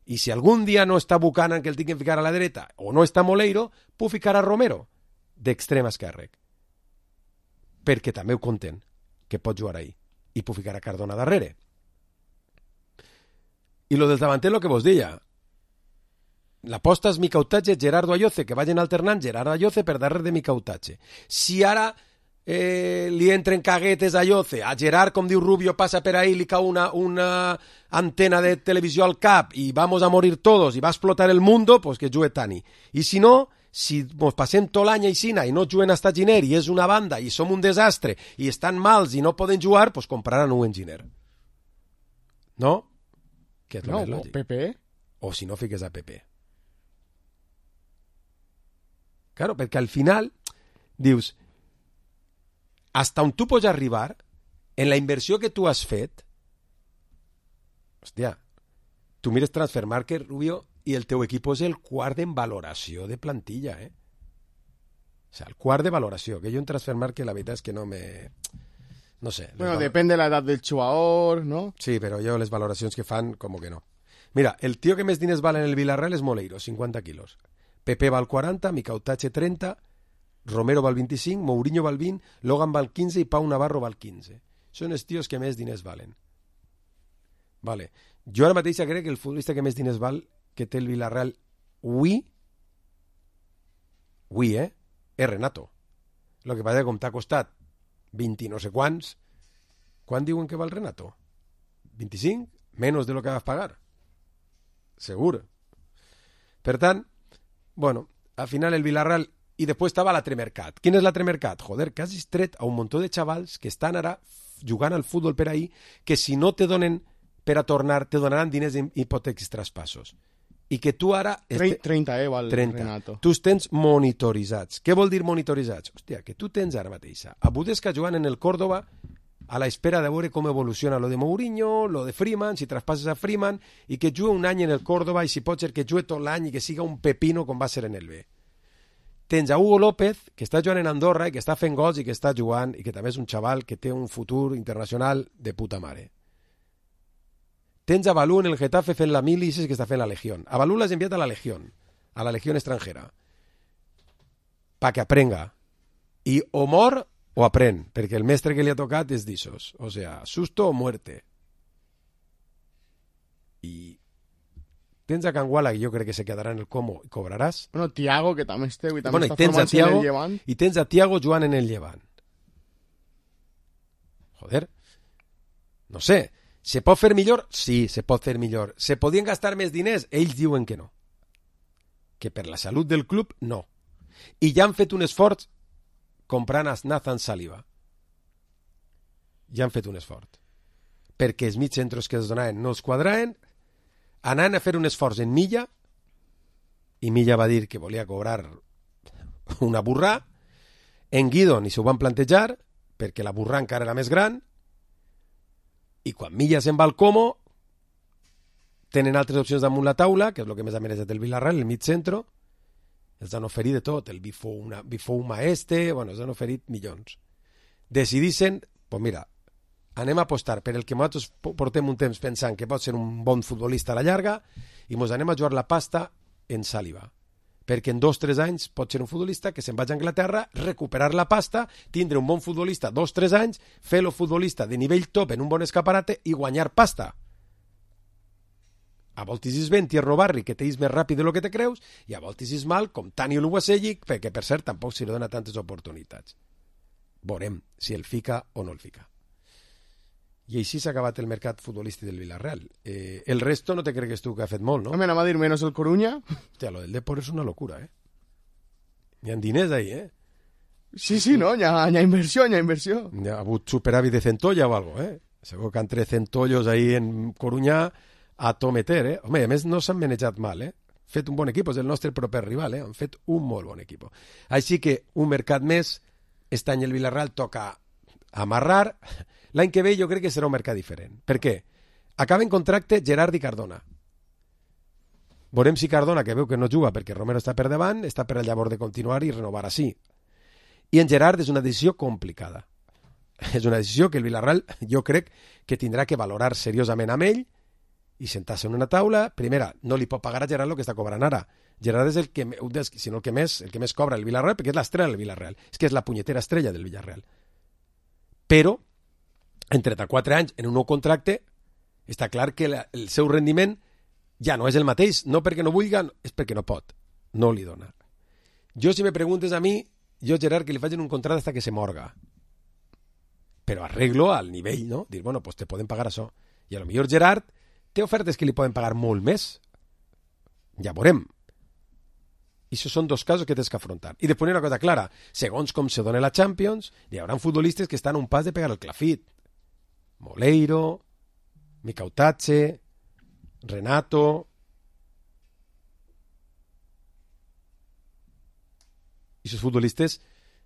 I si algun dia no està Buchanan, que el tinc que ficar a la dreta, o no està Moleiro, puc ficar a Romero d'extrem esquerre. Perquè també ho conten, que pot jugar ahí. I puc ficar a Cardona darrere. I lo del davanter, lo que vos deia. L'aposta és Micautatge, Gerardo Ayoce, que vagin alternant Gerardo Ayoce per darrere de Micautatge. Si ara eh, li entren caguetes a Ayoce, a Gerard, com diu Rubio, passa per ahí, li cau una, una antena de televisió al cap i vamos a morir todos i va a explotar el mundo, pues que jugue Tani. I si no, si ens passem tot l'any a Isina i no juguen hasta Giner i és una banda i som un desastre i estan mals i no poden jugar, pues compraran un Giner. No? Que és no, més lògic. Pepe. O si no, fiques a Pepe. Claro, perquè al final dius, hasta on tu pots arribar en la inversió que tu has fet. Hòstia, tu mires Transfermarkt, Rubio, i el teu equip és el quart en valoració de plantilla, eh? O sea, el quart de valoració, que jo en Transfermarkt la veritat és que no me... No sé. Bueno, val... depèn de l'edat del jugador, ¿no? Sí, però jo les valoracions que fan, com que no. Mira, el tio que més diners val en el Villarreal és Moleiro, cinquanta quilos. Pepe val quaranta, Micautatge trenta, Romero val vint-i-cinc, Mourinho val vint, Logan val quinze i Pau Navarro val quinze. Són els tios que més diners valen. Vale. Jo ara mateix crec que el futbolista que més diners val que té el Villarreal avui, avui, eh? És Renato. Lo que passa que com t'ha costat vint i no sé quants, quan diuen que val Renato? vint-i-cinc? Menos de lo que vas pagar. Segur. Per tant, bueno, al final el Villarreal i després estava l'Atremercat. Quin és l'Atremercat? Joder, que has tret a un muntó de xavals que estan ara jugant al futbol per ahí, que si no te donen per a tornar, te donaran diners en hipoteques traspassos. I que tu ara... Este... trenta, eh, val trenta. Renato. Tu els tens monitoritzats. Què vol dir monitoritzats? Hòstia, que tu tens ara mateixa a Budesca jugant en el Córdoba a la espera de veure com evoluciona lo de Mourinho, lo de Freeman, si traspasses a Freeman, i que jugue un any en el Córdoba i si pot ser que jugue tot l'any i que siga un pepino com va ser en el B. Tens a Hugo López, que està jugant en Andorra i que està fent gols i que està jugant i que també és un xaval que té un futur internacional de puta mare. Tens a Balú en el Getafe fent la mili i que està fent la Legión. A Balú l'has enviat a la Legión, a la Legión extranjera, pa que aprenga. I o mor o aprèn, perquè el mestre que li ha tocat és d'ixos. O sea, susto o muerte. I tens a Canguala, que jo crec que se quedarà en el Como i cobraràs. Bueno, Thiago, que també esteu i també bueno, està formant-se en el Llevant. I tens a Thiago jugant en el Llevant. Joder. No sé. Se pot fer millor? Sí, se pot fer millor. Se podien gastar més diners? Ells diuen que no. Que per la salut del club, no. I ja han fet un esforç comprant a Nathan Saliba. Ja han fet un esforç. Perquè els mig centres que es donaven no els quadraven, anaven a fer un esforç en Milla, i Milla va dir que volia cobrar una burrà. En Guido ni s'ho van plantejar, perquè la burrà encara era més gran, i quan Milla se'n va al Como, tenen altres opcions damunt la taula, que és el que més ha mereixat el Villarreal, el mig centre, els han oferit de tot, el Bifou, una, Bifou Maeste, bueno, els han oferit milions. Decidissin, pues mira, anem a apostar per el que nosaltres portem un temps pensant que pot ser un bon futbolista a la llarga i ens anem a jugar la pasta en Saliba. Perquè en dos o tres anys pot ser un futbolista que se'n vagi a Anglaterra, recuperar la pasta, tindre un bon futbolista dos o tres anys, fer-lo futbolista de nivell top en un bon escaparate i guanyar pasta. A voltes és ben Tierno Barri, que t'és més ràpid del que te creus, i a voltes és mal, com Tani Oluwasegic, perquè per cert tampoc se li dona tantes oportunitats. Veurem si el fica o no el fica. I així s'ha acabat el mercat futbolístic del Villarreal. Eh, el resto no te cregues tu que ha fet molt, no? Home, anem a dir menos el Coruña. Hòstia, lo del Depor és una locura, eh? Hi ha diners ahí, eh? Sí, sí, no? Hi ha, hi ha inversió, hi ha inversió. Hi ha hagut superàvit de centolla o algo, eh? Segur que entre centollos ahí en Coruña a tometer, eh? Home, a més no s'han manejat mal, eh? Fet un bon equip, és el nostre proper rival, eh? Han fet un molt bon equip. Així que un mercat més, este any el Villarreal toca amarrar. L'any que ve jo crec que serà un mercat diferent. Per què? Acaba en contracte Gerard i Cardona. Veurem si Cardona, que veu que no juga perquè Romero està per davant, està per al llavor de continuar i renovar així. I en Gerard és una decisió complicada. És una decisió que el Villarreal jo crec que tindrà que valorar seriosament amb ell i sentar-se en una taula. Primera, no li pot pagar a Gerard el que està cobrant ara. Gerard és el que, si no el que més, el que més cobra el Villarreal, perquè és l'estrella del Villarreal. És que és la punyetera estrella del Villarreal. Però en trenta-quatre anys, en un nou contracte, està clar que la, el seu rendiment ja no és el mateix, no perquè no vulgui, és perquè no pot, no li dona. Jo, si me preguntes a mi, jo, Gerard, que li facin un contracte hasta que se morga. Però arreglo al nivell, no? Dir, bueno, pues te poden pagar això. I a lo millor Gerard té ofertes que li poden pagar molt més. Ja veurem. I això són dos casos que tens que afrontar. I després una cosa clara, segons com se dona la Champions, hi haurà futbolistes que estan a un pas de pegar el clafit. Moleiro, Micautache, Renato. I aquests futbolistes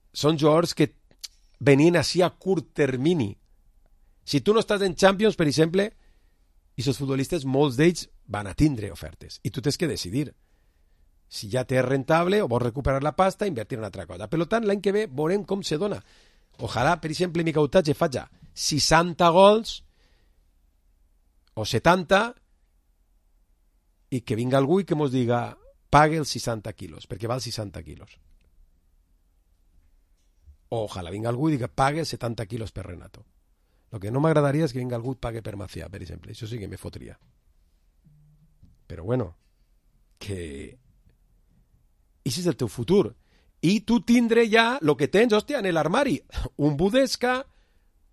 són jugadors que venien així a curt termini. Si tu no estàs en Champions, per exemple, aquests futbolistes, molts d'ells van a tindre ofertes. I tu tens que decidir si ja t'és rentable o vols recuperar la pasta i invertir en una altra cosa. Per tant, l'any que ve veurem com se dona. Ojalà, per exemple, Micautache faci seixanta gols o setanta i que vinga algú i que mos diga pague els seixanta quilos, perquè val seixanta quilos. O ojalà vinga algú i diga pague setanta quilos per Renato. El que no m'agradaria és que vinga algú i pague per Macià, per exemple. Això sí que me fotria. Però bueno, que això és el teu futur. I tu tindré ja el que tens, hòstia, en l'armari. Un Budesca,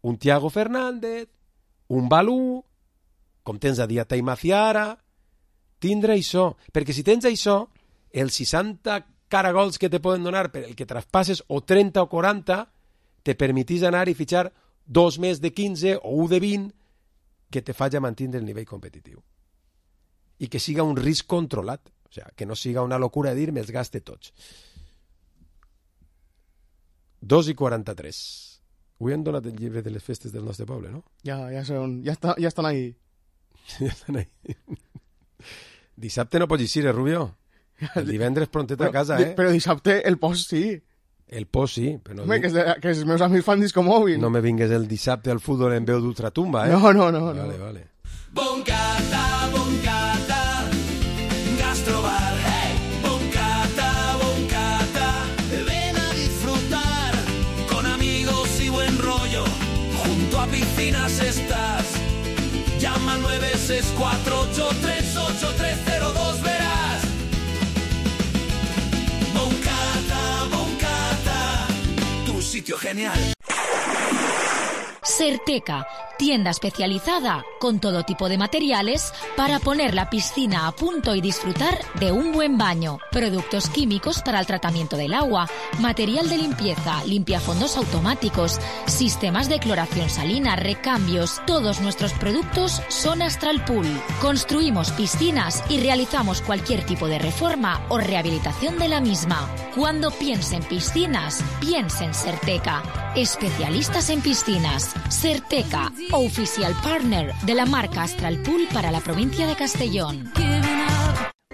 un Thiago Fernández, un Balú, com tens a Diata i Maciara. Tindre això. Perquè si tens això, els seixanta caragols que te poden donar per el que traspasses, o trenta o quaranta, te permetís anar i fitxar dos més de quinze o un de vint que te faci mantenir el nivell competitiu. I que siga un risc controlat. O sigui, que no siga una locura de dir me'ls gaste tots. dos i quaranta-tres. Avui han donat el llibre de les festes del nostre poble, no? Ja, ja, són, ja, està, ja estan ahí. Ja estan ahí. Dissabte no pots eixir, eh, Rubio? El divendres prontet a casa, eh? Però dissabte el post sí. El post sí. Però no Home, que, de, que els meus amics fan disco mòbil. No me vingues el dissabte al futbol en veu d'ultratumba, eh? No, no, no. Vale, no. vale. Boncata, boncata, gastrobar. Hey. Boncata, boncata, ven a disfrutar. Con amigos y buen rollo, junto a piscinas estás. Llama al nueve seis cuatro ocho tres ocho tres cero dos, verás. Boncata, boncata, tu sitio genial. Certeca, tienda especializada con todo tipo de materiales para poner la piscina a punto y disfrutar de un buen baño. Productos químicos para el tratamiento del agua, material de limpieza, limpiafondos automáticos, sistemas de cloración salina, recambios. Todos nuestros productos son Astral Pool. Construimos piscinas y realizamos cualquier tipo de reforma o rehabilitación de la misma. Cuando piense en piscinas, piense en Serteca. Especialistas en piscinas. Serteca, oficial partner de la marca Astral Pool para la provincia de Castellón.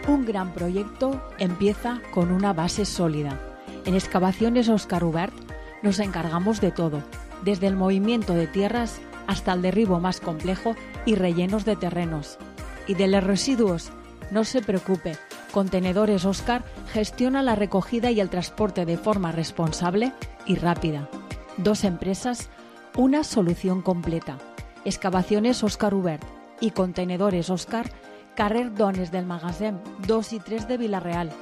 Un gran proyecto empieza con una base sólida. En Excavaciones Óscar Ubert nos encargamos de todo, desde el movimiento de tierras hasta el derribo más complejo y rellenos de terrenos. Y de los residuos, no se preocupe, Contenedores Óscar gestiona la recogida y el transporte de forma responsable y rápida. Dos empresas, una solución completa. Excavaciones Óscar Ubert y Contenedores Óscar, carrer Dones del Magasin dos y tres de Vila-real.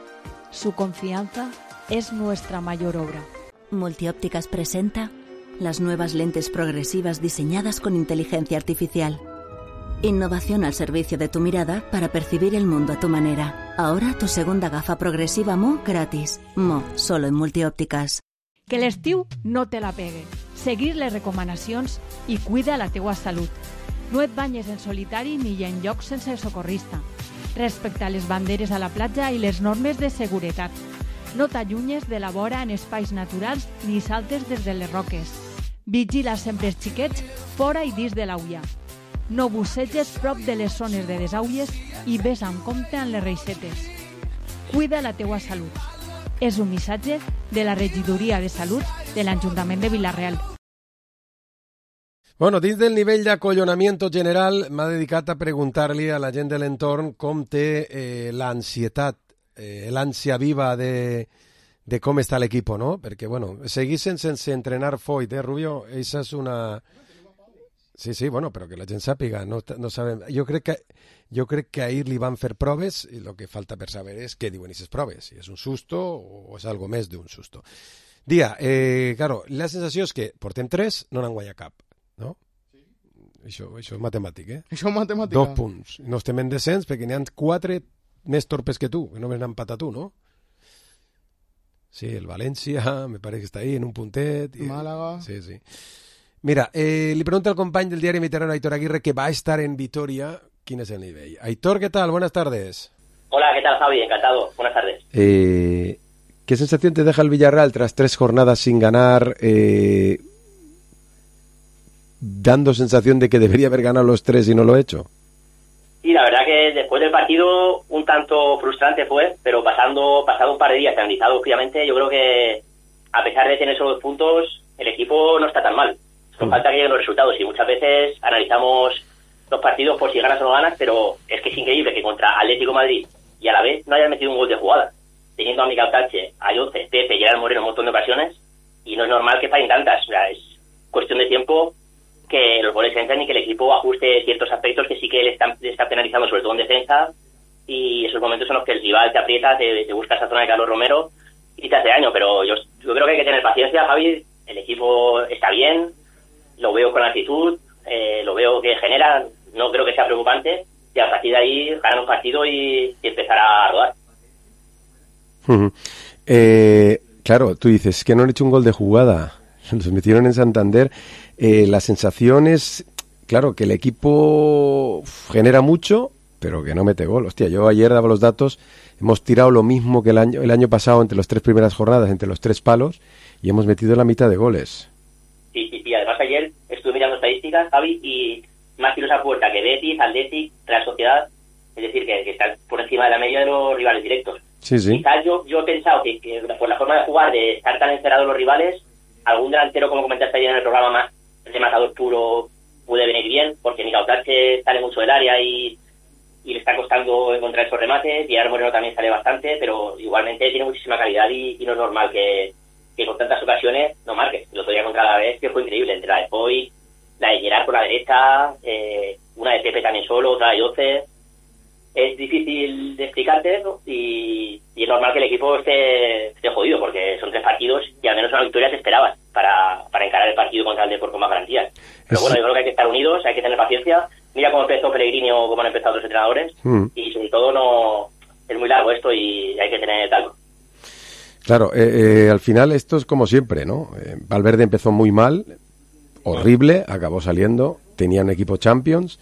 Su confianza es nuestra mayor obra. Multiópticas presenta las nuevas lentes progresivas diseñadas con inteligencia artificial. Innovación al servicio de tu mirada para percibir el mundo a tu manera. Ahora tu segunda gafa progresiva Mo gratis. Mo, solo en Multiòptiques. Que l'estiu no te la pegue. Seguir les recomanacions i cuida la teua salut. No et banyes en solitari ni en llocs sense socorrista. Respecta les banderes a la platja i les normes de seguretat. No t'allunyes de la vora en espais naturals ni saltes des de les roques. Vigila sempre els xiquets fora i dins de l'aulla. No busseges prop de les zones de desaules i ves amb compte amb les reixetes. Cuida la teua salut. És un missatge de la Regidoria de Salut de l'Ajuntament de Vila-real. Bueno, dins del nivell d'acollonamiento general m'ha dedicat a preguntar-li a la gent de l'entorn com té eh, l'ansietat, eh, l'ànsia viva de, de com està l'equip, no? Perquè, bueno, seguissin sense entrenar Foyt, eh, Rubio? Esa és una... Sí, sí, bueno, però que la gent sàpiga, no, no sabem. Jo crec que jo crec que ahir li van fer proves i el que falta per saber és què diuen aquestes proves, si és un susto o és algo més d'un susto. Dia, eh, claro, la sensació és que portem tres, no n'han guanyat cap, no? Sí. Això, això és matemàtic, eh? Això és matemàtica. Dos punts. No estem en descens perquè n'hi ha quatre més torpes que tu, que només n'han empatat tu, no? Sí, el València, me parece que està ahí en un puntet. I... Málaga. Sí, sí. Mira, eh, li pregunto al company del diari Mediterráneo, Aitor Aguirre, que va a estar en Vitoria. ¿Quién es el nivel? Aitor, ¿qué tal? Buenas tardes. Hola, ¿qué tal, Javi? Encantado. Buenas tardes. Eh, ¿Qué sensación te deja el Villarreal tras tres jornadas sin ganar, eh, dando sensación de que debería haber ganado los tres y no lo ha hecho? Sí, la verdad que después del partido un tanto frustrante fue, pero pasando pasado un par de días analizado fríamente, yo creo que a pesar de tener solo dos puntos, el equipo no está tan mal. Nos falta que lleguen los resultados y muchas veces analizamos los partidos por si ganas o no ganas, pero es que es increíble que contra Atlético de Madrid y a la vez no hayan metido un gol de jugada, teniendo a Mikel Tache, a Lloce, Pepe, Gerard Moreno en un montón de ocasiones, y no es normal que fallen tantas. O sea, es cuestión de tiempo que los goles entren y que el equipo ajuste ciertos aspectos que sí que le están, le está penalizando, sobre todo en defensa, y esos momentos son los que el rival te aprieta, te, te busca esa zona de Carlos Romero y te hace daño. Pero yo, yo creo que hay que tener paciencia, Javi. El equipo está bien, lo veo con actitud, eh, lo veo que genera, no creo que sea preocupante, y a partir de ahí ganar un partido y, y empezar a rodar. Uh-huh. eh, claro, tú dices que no han hecho un gol de jugada, los metieron en Santander, eh, la sensación es, claro, que el equipo genera mucho, pero que no mete gol. Hostia, yo ayer daba los datos, hemos tirado lo mismo que el año, el año pasado entre las tres primeras jornadas, entre los tres palos, y hemos metido la mitad de goles. Sí, sí, sí. Además ayer estuve mirando estadísticas, Javi, y más tiros a puerta que Betis, Athletic, Real Sociedad, es decir, que, que están por encima de la media de los rivales directos. Sí, sí. Quizás yo, yo he pensado que, que por la forma de jugar, de estar tan encerrados los rivales, algún delantero, como comentaste ayer en el programa, más rematador puro, puede venir bien, porque Mikel Tache sale mucho del área y, y le está costando encontrar esos remates, y Gerard Moreno también sale bastante, pero igualmente tiene muchísima calidad y, y no es normal que que con tantas ocasiones no marques. El otro día contra la vez que fue increíble, entre la de Foyt, la de Gerard por la derecha, eh, una de Pepe también solo, otra de Lloce. Es difícil de explicarte eso y, y es normal que el equipo esté, esté jodido, porque son tres partidos y al menos una victoria te esperabas. para, para encarar el partido contra el Depor con más garantías. Pero bueno, yo creo que hay que estar unidos, hay que tener paciencia. Mira cómo empezó Pellegrini o cómo han empezado otros entrenadores, mm. y sobre todo no es muy largo esto y hay que tener talco. Claro, eh, eh, al final esto es como siempre, ¿no? Eh, Valverde empezó muy mal, horrible, acabó saliendo, tenía un equipo Champions,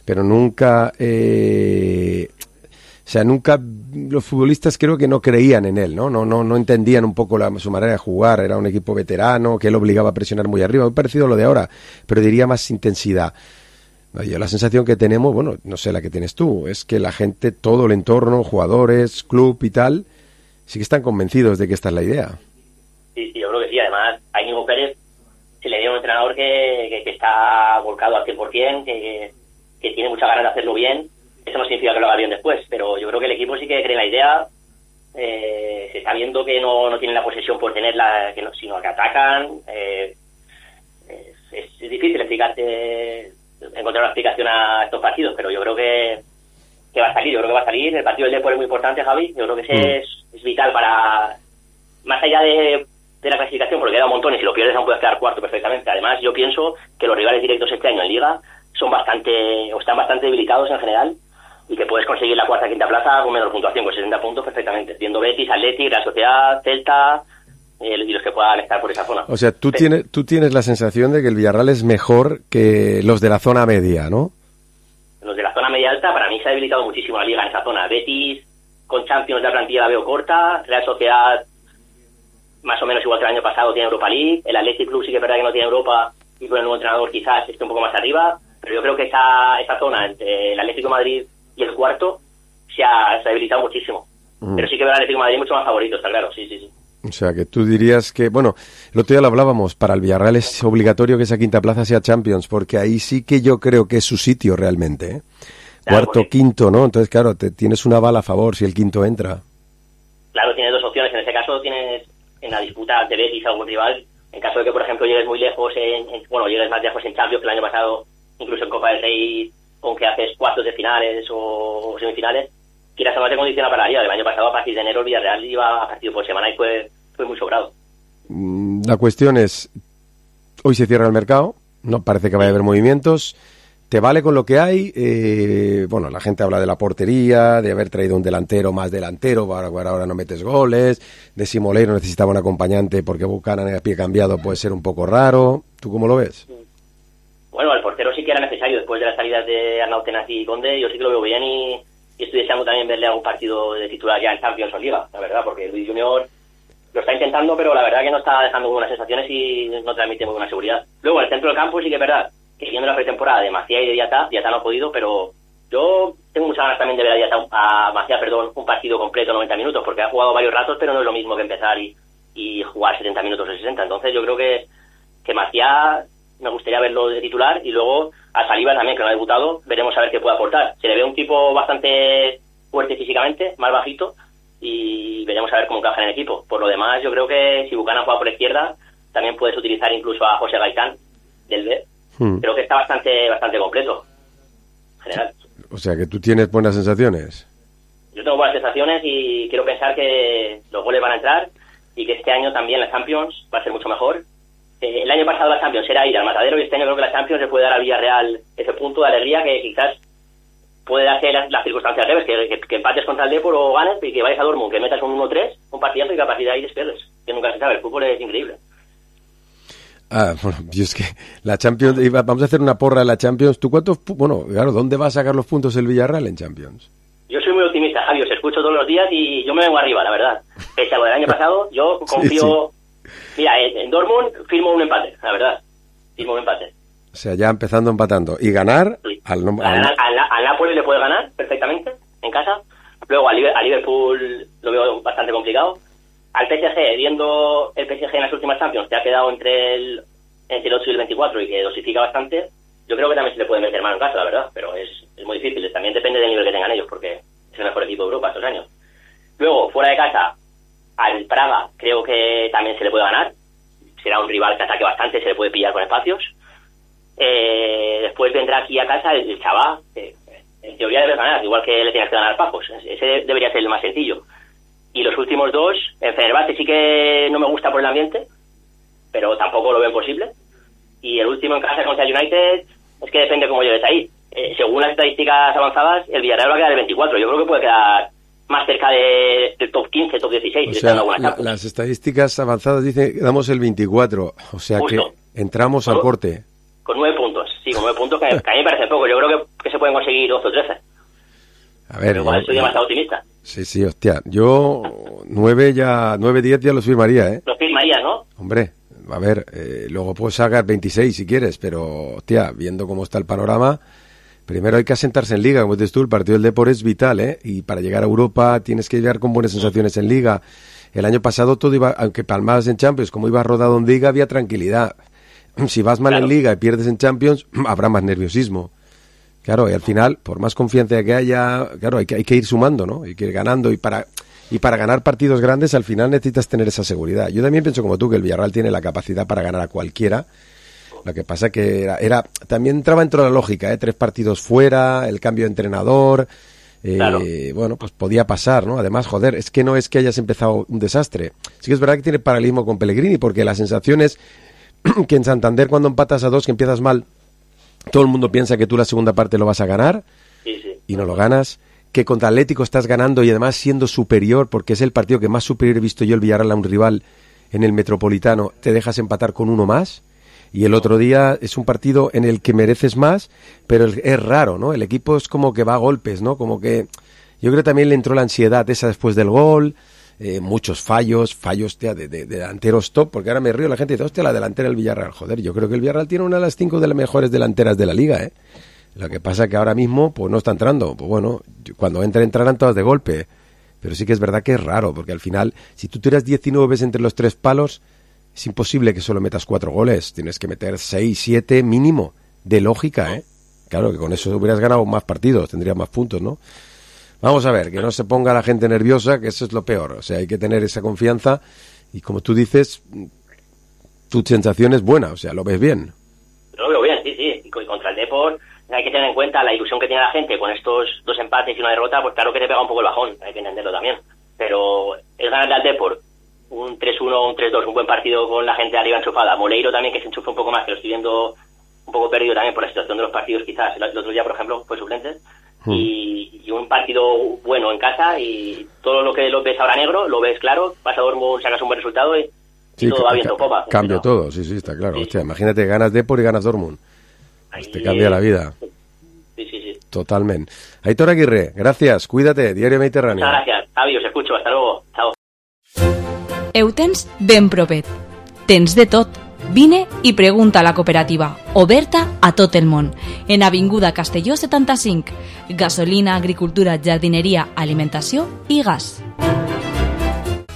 pero nunca, eh, o sea, nunca los futbolistas creo que no creían en él, ¿no? No, no, no entendían un poco la, su manera de jugar, era un equipo veterano que él obligaba a presionar muy arriba, muy parecido a lo de ahora, pero diría más intensidad. Yo la sensación que tenemos, bueno, no sé la que tienes tú, es que la gente, todo el entorno, jugadores, club y tal, sí que están convencidos de que esta es la idea. Sí, sí, yo creo que sí. Además, a Íñigo Pérez se le dio un entrenador que, que, que está volcado al cien por ciento, que, que tiene muchas ganas de hacerlo bien. Eso no significa que lo haga bien después, pero yo creo que el equipo sí que cree en la idea. Eh, se está viendo que no, no tienen la posesión por tenerla, que no, sino que atacan. Eh, es, es difícil explicarte, encontrar una explicación a estos partidos, pero yo creo que, que va a salir, yo creo que va a salir. El partido del Depor es muy importante, Javi. Yo creo que ese mm. es, es vital para, más allá de, de la clasificación, porque queda un montón y si lo pierdes aún puedes quedar cuarto perfectamente. Además, yo pienso que los rivales directos este año en Liga son bastante, o están bastante debilitados en general, y que puedes conseguir la cuarta quinta plaza con menor puntuación, con sesenta puntos perfectamente, viendo Betis, Athletic, Real Sociedad, Celta eh, y los que puedan estar por esa zona. O sea, tú, sí. tienes, tú tienes la sensación de que el Villarreal es mejor que los de la zona media, ¿no? Los de la zona media alta, para mí se ha debilitado muchísimo la Liga en esa zona. Betis, con Champions, la plantilla la veo corta. Real Sociedad, más o menos igual que el año pasado, tiene Europa League. El Athletic Club sí que es verdad que no tiene Europa, y con el nuevo entrenador quizás esté un poco más arriba, pero yo creo que esa, esa zona entre el Atlético de Madrid y el cuarto se ha, se ha debilitado muchísimo. Mm. Pero sí que veo al Atlético de Madrid mucho más favorito, está claro, sí, sí, sí. O sea, que tú dirías que, bueno, el otro día lo hablábamos, para el Villarreal es obligatorio que esa quinta plaza sea Champions, porque ahí sí que yo creo que es su sitio realmente, ¿eh? Claro, cuarto, porque... quinto, ¿no? Entonces, claro, te tienes una bala a favor si el quinto entra. Claro, tienes dos opciones. En ese caso tienes en la disputa de Betis a algún rival, en caso de que, por ejemplo, llegues muy lejos, en, en, bueno, llegues más lejos en Champions que el año pasado, incluso en Copa del Rey, con que haces cuartos de finales o semifinales, quieras o no te condiciona para la Liga. El año pasado, a partir de enero, el Villarreal iba a partido por semana y fue, fue muy sobrado. La cuestión es, hoy se cierra el mercado, no parece que vaya a haber movimientos. ¿Te vale con lo que hay? Eh, bueno, la gente habla de la portería, de haber traído un delantero más delantero, ahora, ahora no metes goles, de si Moleiro necesitaba un acompañante porque Buchanan a pie cambiado puede ser un poco raro. ¿Tú cómo lo ves? Bueno, el portero sí que era necesario después de las salidas de Arnau Tenas y Conde. Yo sí que lo veo bien y, y estoy deseando también verle algún partido de titular ya en Champions o Liga, la verdad, porque Luis Junior lo está intentando, pero la verdad que no está dejando buenas sensaciones y no transmite muy buena seguridad. Luego, en el centro del campo sí que es verdad que viendo la pretemporada de Macías y de Diatá, Diatá no ha podido, pero yo tengo muchas ganas también de ver a Diatá, a Macías, perdón, un partido completo, noventa minutos, porque ha jugado varios ratos, pero no es lo mismo que empezar y, y jugar setenta minutos o sesenta. Entonces yo creo que, que Macías me gustaría verlo de titular, y luego a Saliba también, que no ha debutado, veremos a ver qué puede aportar. Se le ve un tipo bastante fuerte físicamente, más bajito, y veremos a ver cómo encaja en el equipo. Por lo demás, yo creo que si Buchanan juega por la izquierda, también puedes utilizar incluso a José Gaitán del B. Hmm. Creo que está bastante bastante completo en general. O sea, que tú tienes buenas sensaciones. Yo tengo buenas sensaciones y quiero pensar que los goles van a entrar y que este año también la Champions va a ser mucho mejor. Eh, el año pasado la Champions era ir al matadero y este año creo que la Champions le puede dar al Villarreal ese punto de alegría que quizás puede darse las, las circunstancias al revés, que, que, que empates contra el Depor o ganes y que vayas a Dortmund, que metas un uno tres, un partidazo y que a partir de ahí despierdes. Que nunca se sabe, el fútbol es increíble. Ah, bueno, yo es que la Champions, vamos a hacer una porra de la Champions. ¿Tú cuántos, bueno, claro, dónde va a sacar los puntos el Villarreal en Champions? Yo soy muy optimista, Javi, os escucho todos los días y yo me vengo arriba, la verdad. Pese a lo del año pasado, yo confío... Sí, sí. Mira, en, en Dortmund firmo un empate, la verdad. Firmo un empate. O sea, ya empezando empatando. ¿Y ganar? Sí. Al, al, al, al, al Napoli le puede ganar perfectamente, en casa. Luego al a Liverpool lo veo bastante complicado. Al P S G, viendo el P S G en las últimas Champions, que ha quedado entre el entre el ocho y el veinticuatro y que dosifica bastante, yo creo que también se le puede meter mano en casa, la verdad, pero es, es muy difícil. También depende del nivel que tengan ellos, porque es el mejor equipo de Europa estos años. Luego, fuera de casa, al Praga creo que también se le puede ganar. Será un rival que ataque bastante, se le puede pillar con espacios. Eh, después vendrá aquí a casa el, el Chabá, que en teoría debe ganar, igual que le tienes que ganar Pajos. Ese debería ser el más sencillo. Y los últimos dos, en Fenerbahce sí que no me gusta por el ambiente, pero tampoco lo ven posible. Y el último en casa contra el United, es que depende cómo llegues ahí. Eh, según las estadísticas avanzadas, el Villarreal va a quedar el veinticuatro. Yo creo que puede quedar más cerca de, del top quince, top dieciséis. O sea, la, las estadísticas avanzadas dicen que damos el veinticuatro, o sea Justo. que entramos al corte. Con nueve puntos, sí, con nueve puntos, que, que a mí me parece poco. Yo creo que, que se pueden conseguir doce o trece. A ver, igual yo, soy demasiado optimista. Sí, sí, hostia. Yo nueve ya, nueve, diez ya los firmaría, ¿eh? Los firmarías, ¿no? Hombre, a ver, eh, luego puedes sacar veintiséis si quieres, pero, hostia, viendo cómo está el panorama, primero hay que asentarse en Liga, como dices tú, el partido del Depor es vital, ¿eh? Y para llegar a Europa tienes que llegar con buenas sensaciones en Liga. El año pasado todo iba, aunque palmabas en Champions, como ibas rodado en Liga, había tranquilidad. Si vas mal claro. en Liga y pierdes en Champions, habrá más nerviosismo. Claro, y al final, por más confianza que haya, claro, hay que, hay que ir sumando, ¿no? Hay que ir ganando y para y para ganar partidos grandes al final necesitas tener esa seguridad. Yo también pienso como tú que el Villarreal tiene la capacidad para ganar a cualquiera. Lo que pasa que era, era también entraba dentro de la lógica, ¿eh? Tres partidos fuera, el cambio de entrenador, eh, claro. bueno, pues podía pasar, ¿no? Además, joder, es que no es que hayas empezado un desastre. Sí que es verdad que tiene paralelismo con Pellegrini, porque la sensación es que en Santander cuando empatas a dos, que empiezas mal, todo el mundo piensa que tú la segunda parte lo vas a ganar sí, sí. y no lo ganas, que contra Atlético estás ganando y además siendo superior, porque es el partido que más superior he visto yo el Villarreal a un rival en el Metropolitano, te dejas empatar con uno más y el otro día es un partido en el que mereces más, pero es raro, ¿no? El equipo es como que va a golpes, ¿no? Como que yo creo que también le entró la ansiedad esa después del gol. Eh, muchos fallos, fallos tía, de, de, de delanteros top, porque ahora me río, la gente dice, hostia, la delantera del Villarreal, joder, yo creo que el Villarreal tiene una de las cinco de las mejores delanteras de la liga, ¿eh? Lo que pasa que ahora mismo, pues no está entrando, pues bueno, cuando entre entrarán todas de golpe, pero sí que es verdad que es raro, porque al final, si tú tiras diecinueve entre los tres palos, es imposible que solo metas cuatro goles, tienes que meter seis, siete mínimo, de lógica, ¿eh? Claro que con eso hubieras ganado más partidos, tendrías más puntos, ¿no? Vamos a ver, que no se ponga la gente nerviosa, que eso es lo peor. O sea, hay que tener esa confianza y como tú dices, tu sensación es buena, o sea, lo ves bien. Lo veo bien, sí, sí. Y contra el Depor hay que tener en cuenta la ilusión que tiene la gente con estos dos empates y una derrota, pues claro que te pega un poco el bajón, hay que entenderlo también. Pero es ganarle al Depor un tres uno, un tres dos, un buen partido con la gente arriba enchufada. Moleiro también, que se enchufa un poco más, que lo estoy viendo un poco perdido también por la situación de los partidos quizás. El otro día, por ejemplo, fue suplente. Y, y un partido bueno en casa y todo lo que lo ves ahora negro, lo ves claro, vas a Dortmund, sacas un buen resultado y, sí, y todo ca- va viento ca- popa. Cambia todo, sí, sí, está claro. Sí. Hostia, imagínate, ganas Depor y ganas Dortmund. Pues te cambia la vida. Sí, sí, sí. Totalmente. Aitor Aguirre, gracias, cuídate, Diario Mediterráneo. Muchas gracias, Javi, os escucho, hasta luego, chao. Eu tens ben provet. Tens de tot. Vine i pregunta a la cooperativa, oberta a tot el món, en Avinguda Castelló setanta-cinc. Gasolina, agricultura, jardinería, alimentació i gas.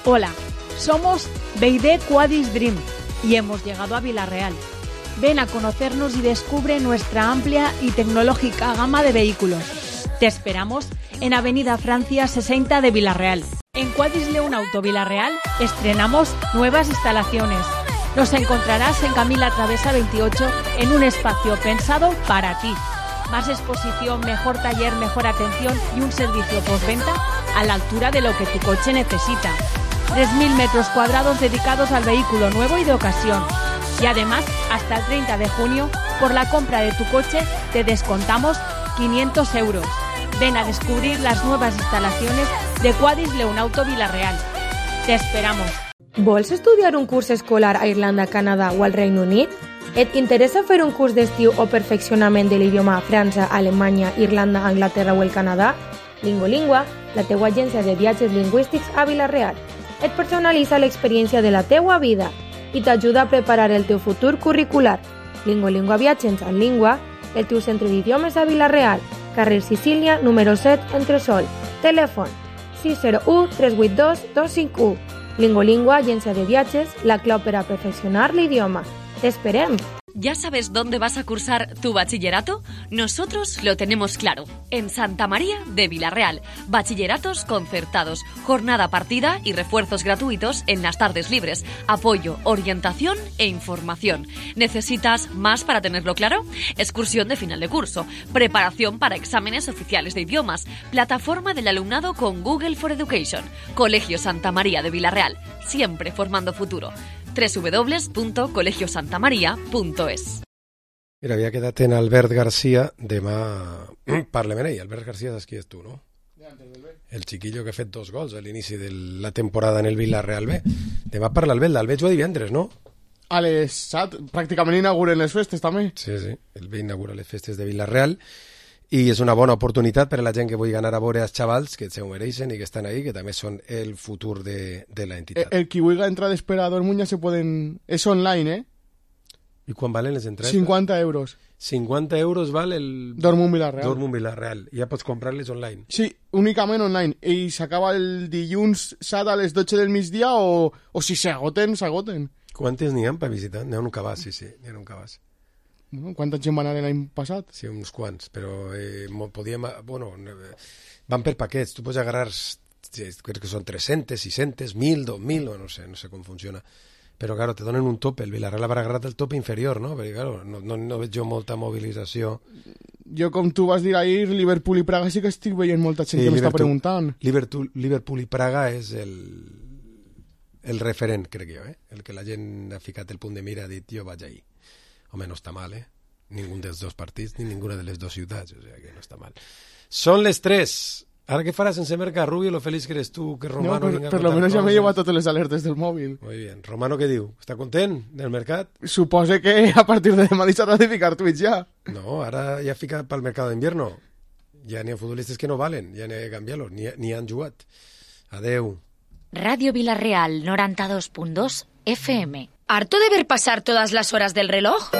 Hola, somos B y D Quadis Dream y hemos llegado a Villarreal. Ven a conocernos y descubre nuestra amplia y tecnológica gama de vehículos. Te esperamos en Avenida Francia sesenta de Villarreal. En Quadis León Auto Villarreal estrenamos nuevas instalaciones. Nos encontrarás en Camila Travesa veintiocho en un espacio pensado para ti. Más exposición, mejor taller, mejor atención y un servicio postventa a la altura de lo que tu coche necesita. tres mil metros cuadrados dedicados al vehículo nuevo y de ocasión. Y además, hasta el treinta de junio, por la compra de tu coche, te descontamos quinientos euros. Ven a descubrir las nuevas instalaciones de Quadis León Auto Villarreal. Te esperamos. Vols estudiar un curs escolar a Irlanda, Canadà o al Regne Unit? Et interessa fer un curs d'estiu o perfeccionament de l'idioma a França, Alemanya, Irlanda, Anglaterra o el Canadà? Lingolingua, la teua agència de viatges lingüístics a Vila-real. Et personalitza l'experiència de la teua vida i t'ajuda a preparar el teu futur curricular. Lingolingua Viatges en Língua, el teu centre d'idiomes a Vila-real, carrer Sicília, número set, Entresol. Telèfon sis zero u tres vuit dos dos cinc u. Lingolingua, agencia de viajes, la clau per a perfeccionar l'idioma. ¡Te esperem! ¿Ya sabes dónde vas a cursar tu bachillerato? Nosotros lo tenemos claro. En Santa María de Villarreal. Bachilleratos concertados, jornada partida y refuerzos gratuitos en las tardes libres. Apoyo, orientación e información. ¿Necesitas más para tenerlo claro? Excursión de final de curso. Preparación para exámenes oficiales de idiomas. Plataforma del alumnado con Google for Education. Colegio Santa María de Villarreal. Siempre formando futuro. doble u doble u doble u punt colegio santa maria punt es. Mira, havia quedat en Albert García, demà parlem amb ell. Albert García, saps qui és tu, no? El chiquillo que ha fet dos gols a l'inici de la temporada en el Villarreal B. Demà parla el Bel, el veig divendres, no? A les set, pràcticament inauguren les festes també. Sí, sí, el B inaugura les festes de Villarreal i és una bona oportunitat per a la gent que vulgui anar a veure els xavals que se ho mereixen i que estan ahí, que també són el futur de, de la entitat. El, el qui vulgui entrar d'espera a Dortmund ja se poden... És online, eh? I quan valen les entrades? cinquanta euros. cinquanta euros val el... Dortmund Villarreal. Dortmund Villarreal. Ja pots comprar-les online. Sí, únicament online. I s'acaba el dilluns set a les dotze del migdia o, o si s'agoten, s'agoten. Quantes n'hi ha per visitar? N'hi ha un cabàs, sí, sí, n'hi ha un cabàs. Bueno, quanta gent van anar l'any passat? Sí, uns quants, però eh, podíem... Bueno, van per paquets. Tu pots agarrar, crec que són tres-centes, sis-centes, mil, dos mil, o no sé, no sé com funciona. Però, claro, te donen un tope. El Villarreal haurà agarrat el tope inferior, no? Perquè, claro, no, no, no veig jo molta mobilització. Jo, com tu vas dir ahir, Liverpool i Praga sí que estic veient molta gent sí, que m'està preguntant. Liverpool, Liverpool i Praga és el, el referent, crec jo, eh? El que la gent ha ficat el punt de mira, ha dit, jo vaig ahir. Home, no està mal, eh? Ningú dels dos partits ni ninguna de les dues ciutats, o sigui que no està mal. Són les tres. Ara què faràs sense mercar, Rubio, lo feliç que eres tu, que Romano... No, per, per lo menos ja m'he llevat totes les alertes del mòbil. Muy bien. Romano, què diu? Està content del mercat? Supose que a partir de demà deixarà de ficar tuits ja. No, ara ja fica pel mercat d'invierno. Ja n'hi ha futbolistes que no valen, ja n'hi ha que canviar-los, ni, ni han jugat. Adeu. Radio Villarreal noventa y dos punto dos F M. ¿Harto de ver pasar todas las horas del reloj?